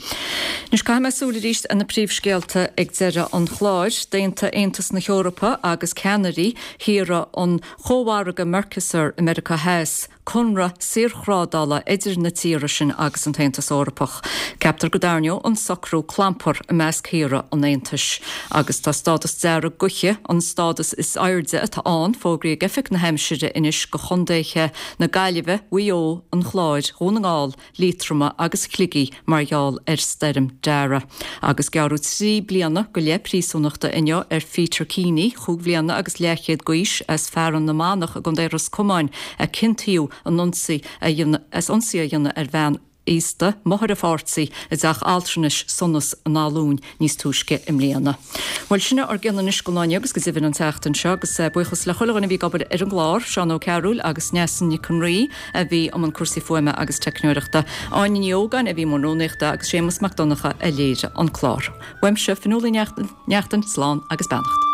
Speaker 1: Anois caithfidh mé súil arís ar na príomhscéalta ag deireadh an chláir. D'aontaigh Aontas na hEorpa agus ceannairí thíortha an chómhargaidh Mercosur i Meiriceá Theas conradh saorthrádála idir na tíortha sin agus an tAontas Eorpach. Ceaptar go dtarraingeoidh an socrú clampar i measc thíortha an Aontais. Agus tá stádas dearg gaoithe, an stádas is airde atá ann, fógraithe ag Oifig na hAimsire anois do chontaetha na Gaillimhe, Mhaigh Eo, an Chláir, Dhún na nGall, Liatroma agus Shligigh mar gheall ar Stoirm Darragh. Agus gearradh 3 bliana go leith príosúnachta inniu ar Pheter Keaney, chúig bhliana agus leathchéad d'aois, as Fearann na Manach i gContae Ros Comáin a ciontaíodh in ionsaí a as ionsaí a dhéanamh ar bhean aosta, máthair a pháirtí, i dteach altranais Sonas in Áth Luain níos túisce i mbliana. Bhuel, sin é ár gcion anois don lá inniu agus go deimhin an tseachtain seo agus buíochas le chuile dhuine a bhí ag obair ar an gclár, Seán Ó Cearúil agus Neasa Nic an Rí a bhí i mbun cúrsaí fuaime agus teicneoireachta, Áine Ní Ógáin a bhí i mbun rúnaíochta agus Séamus Mac Donncha a léirigh an clár. Uaimse, Fionnuala Ní Neachtain, slán agus beannacht.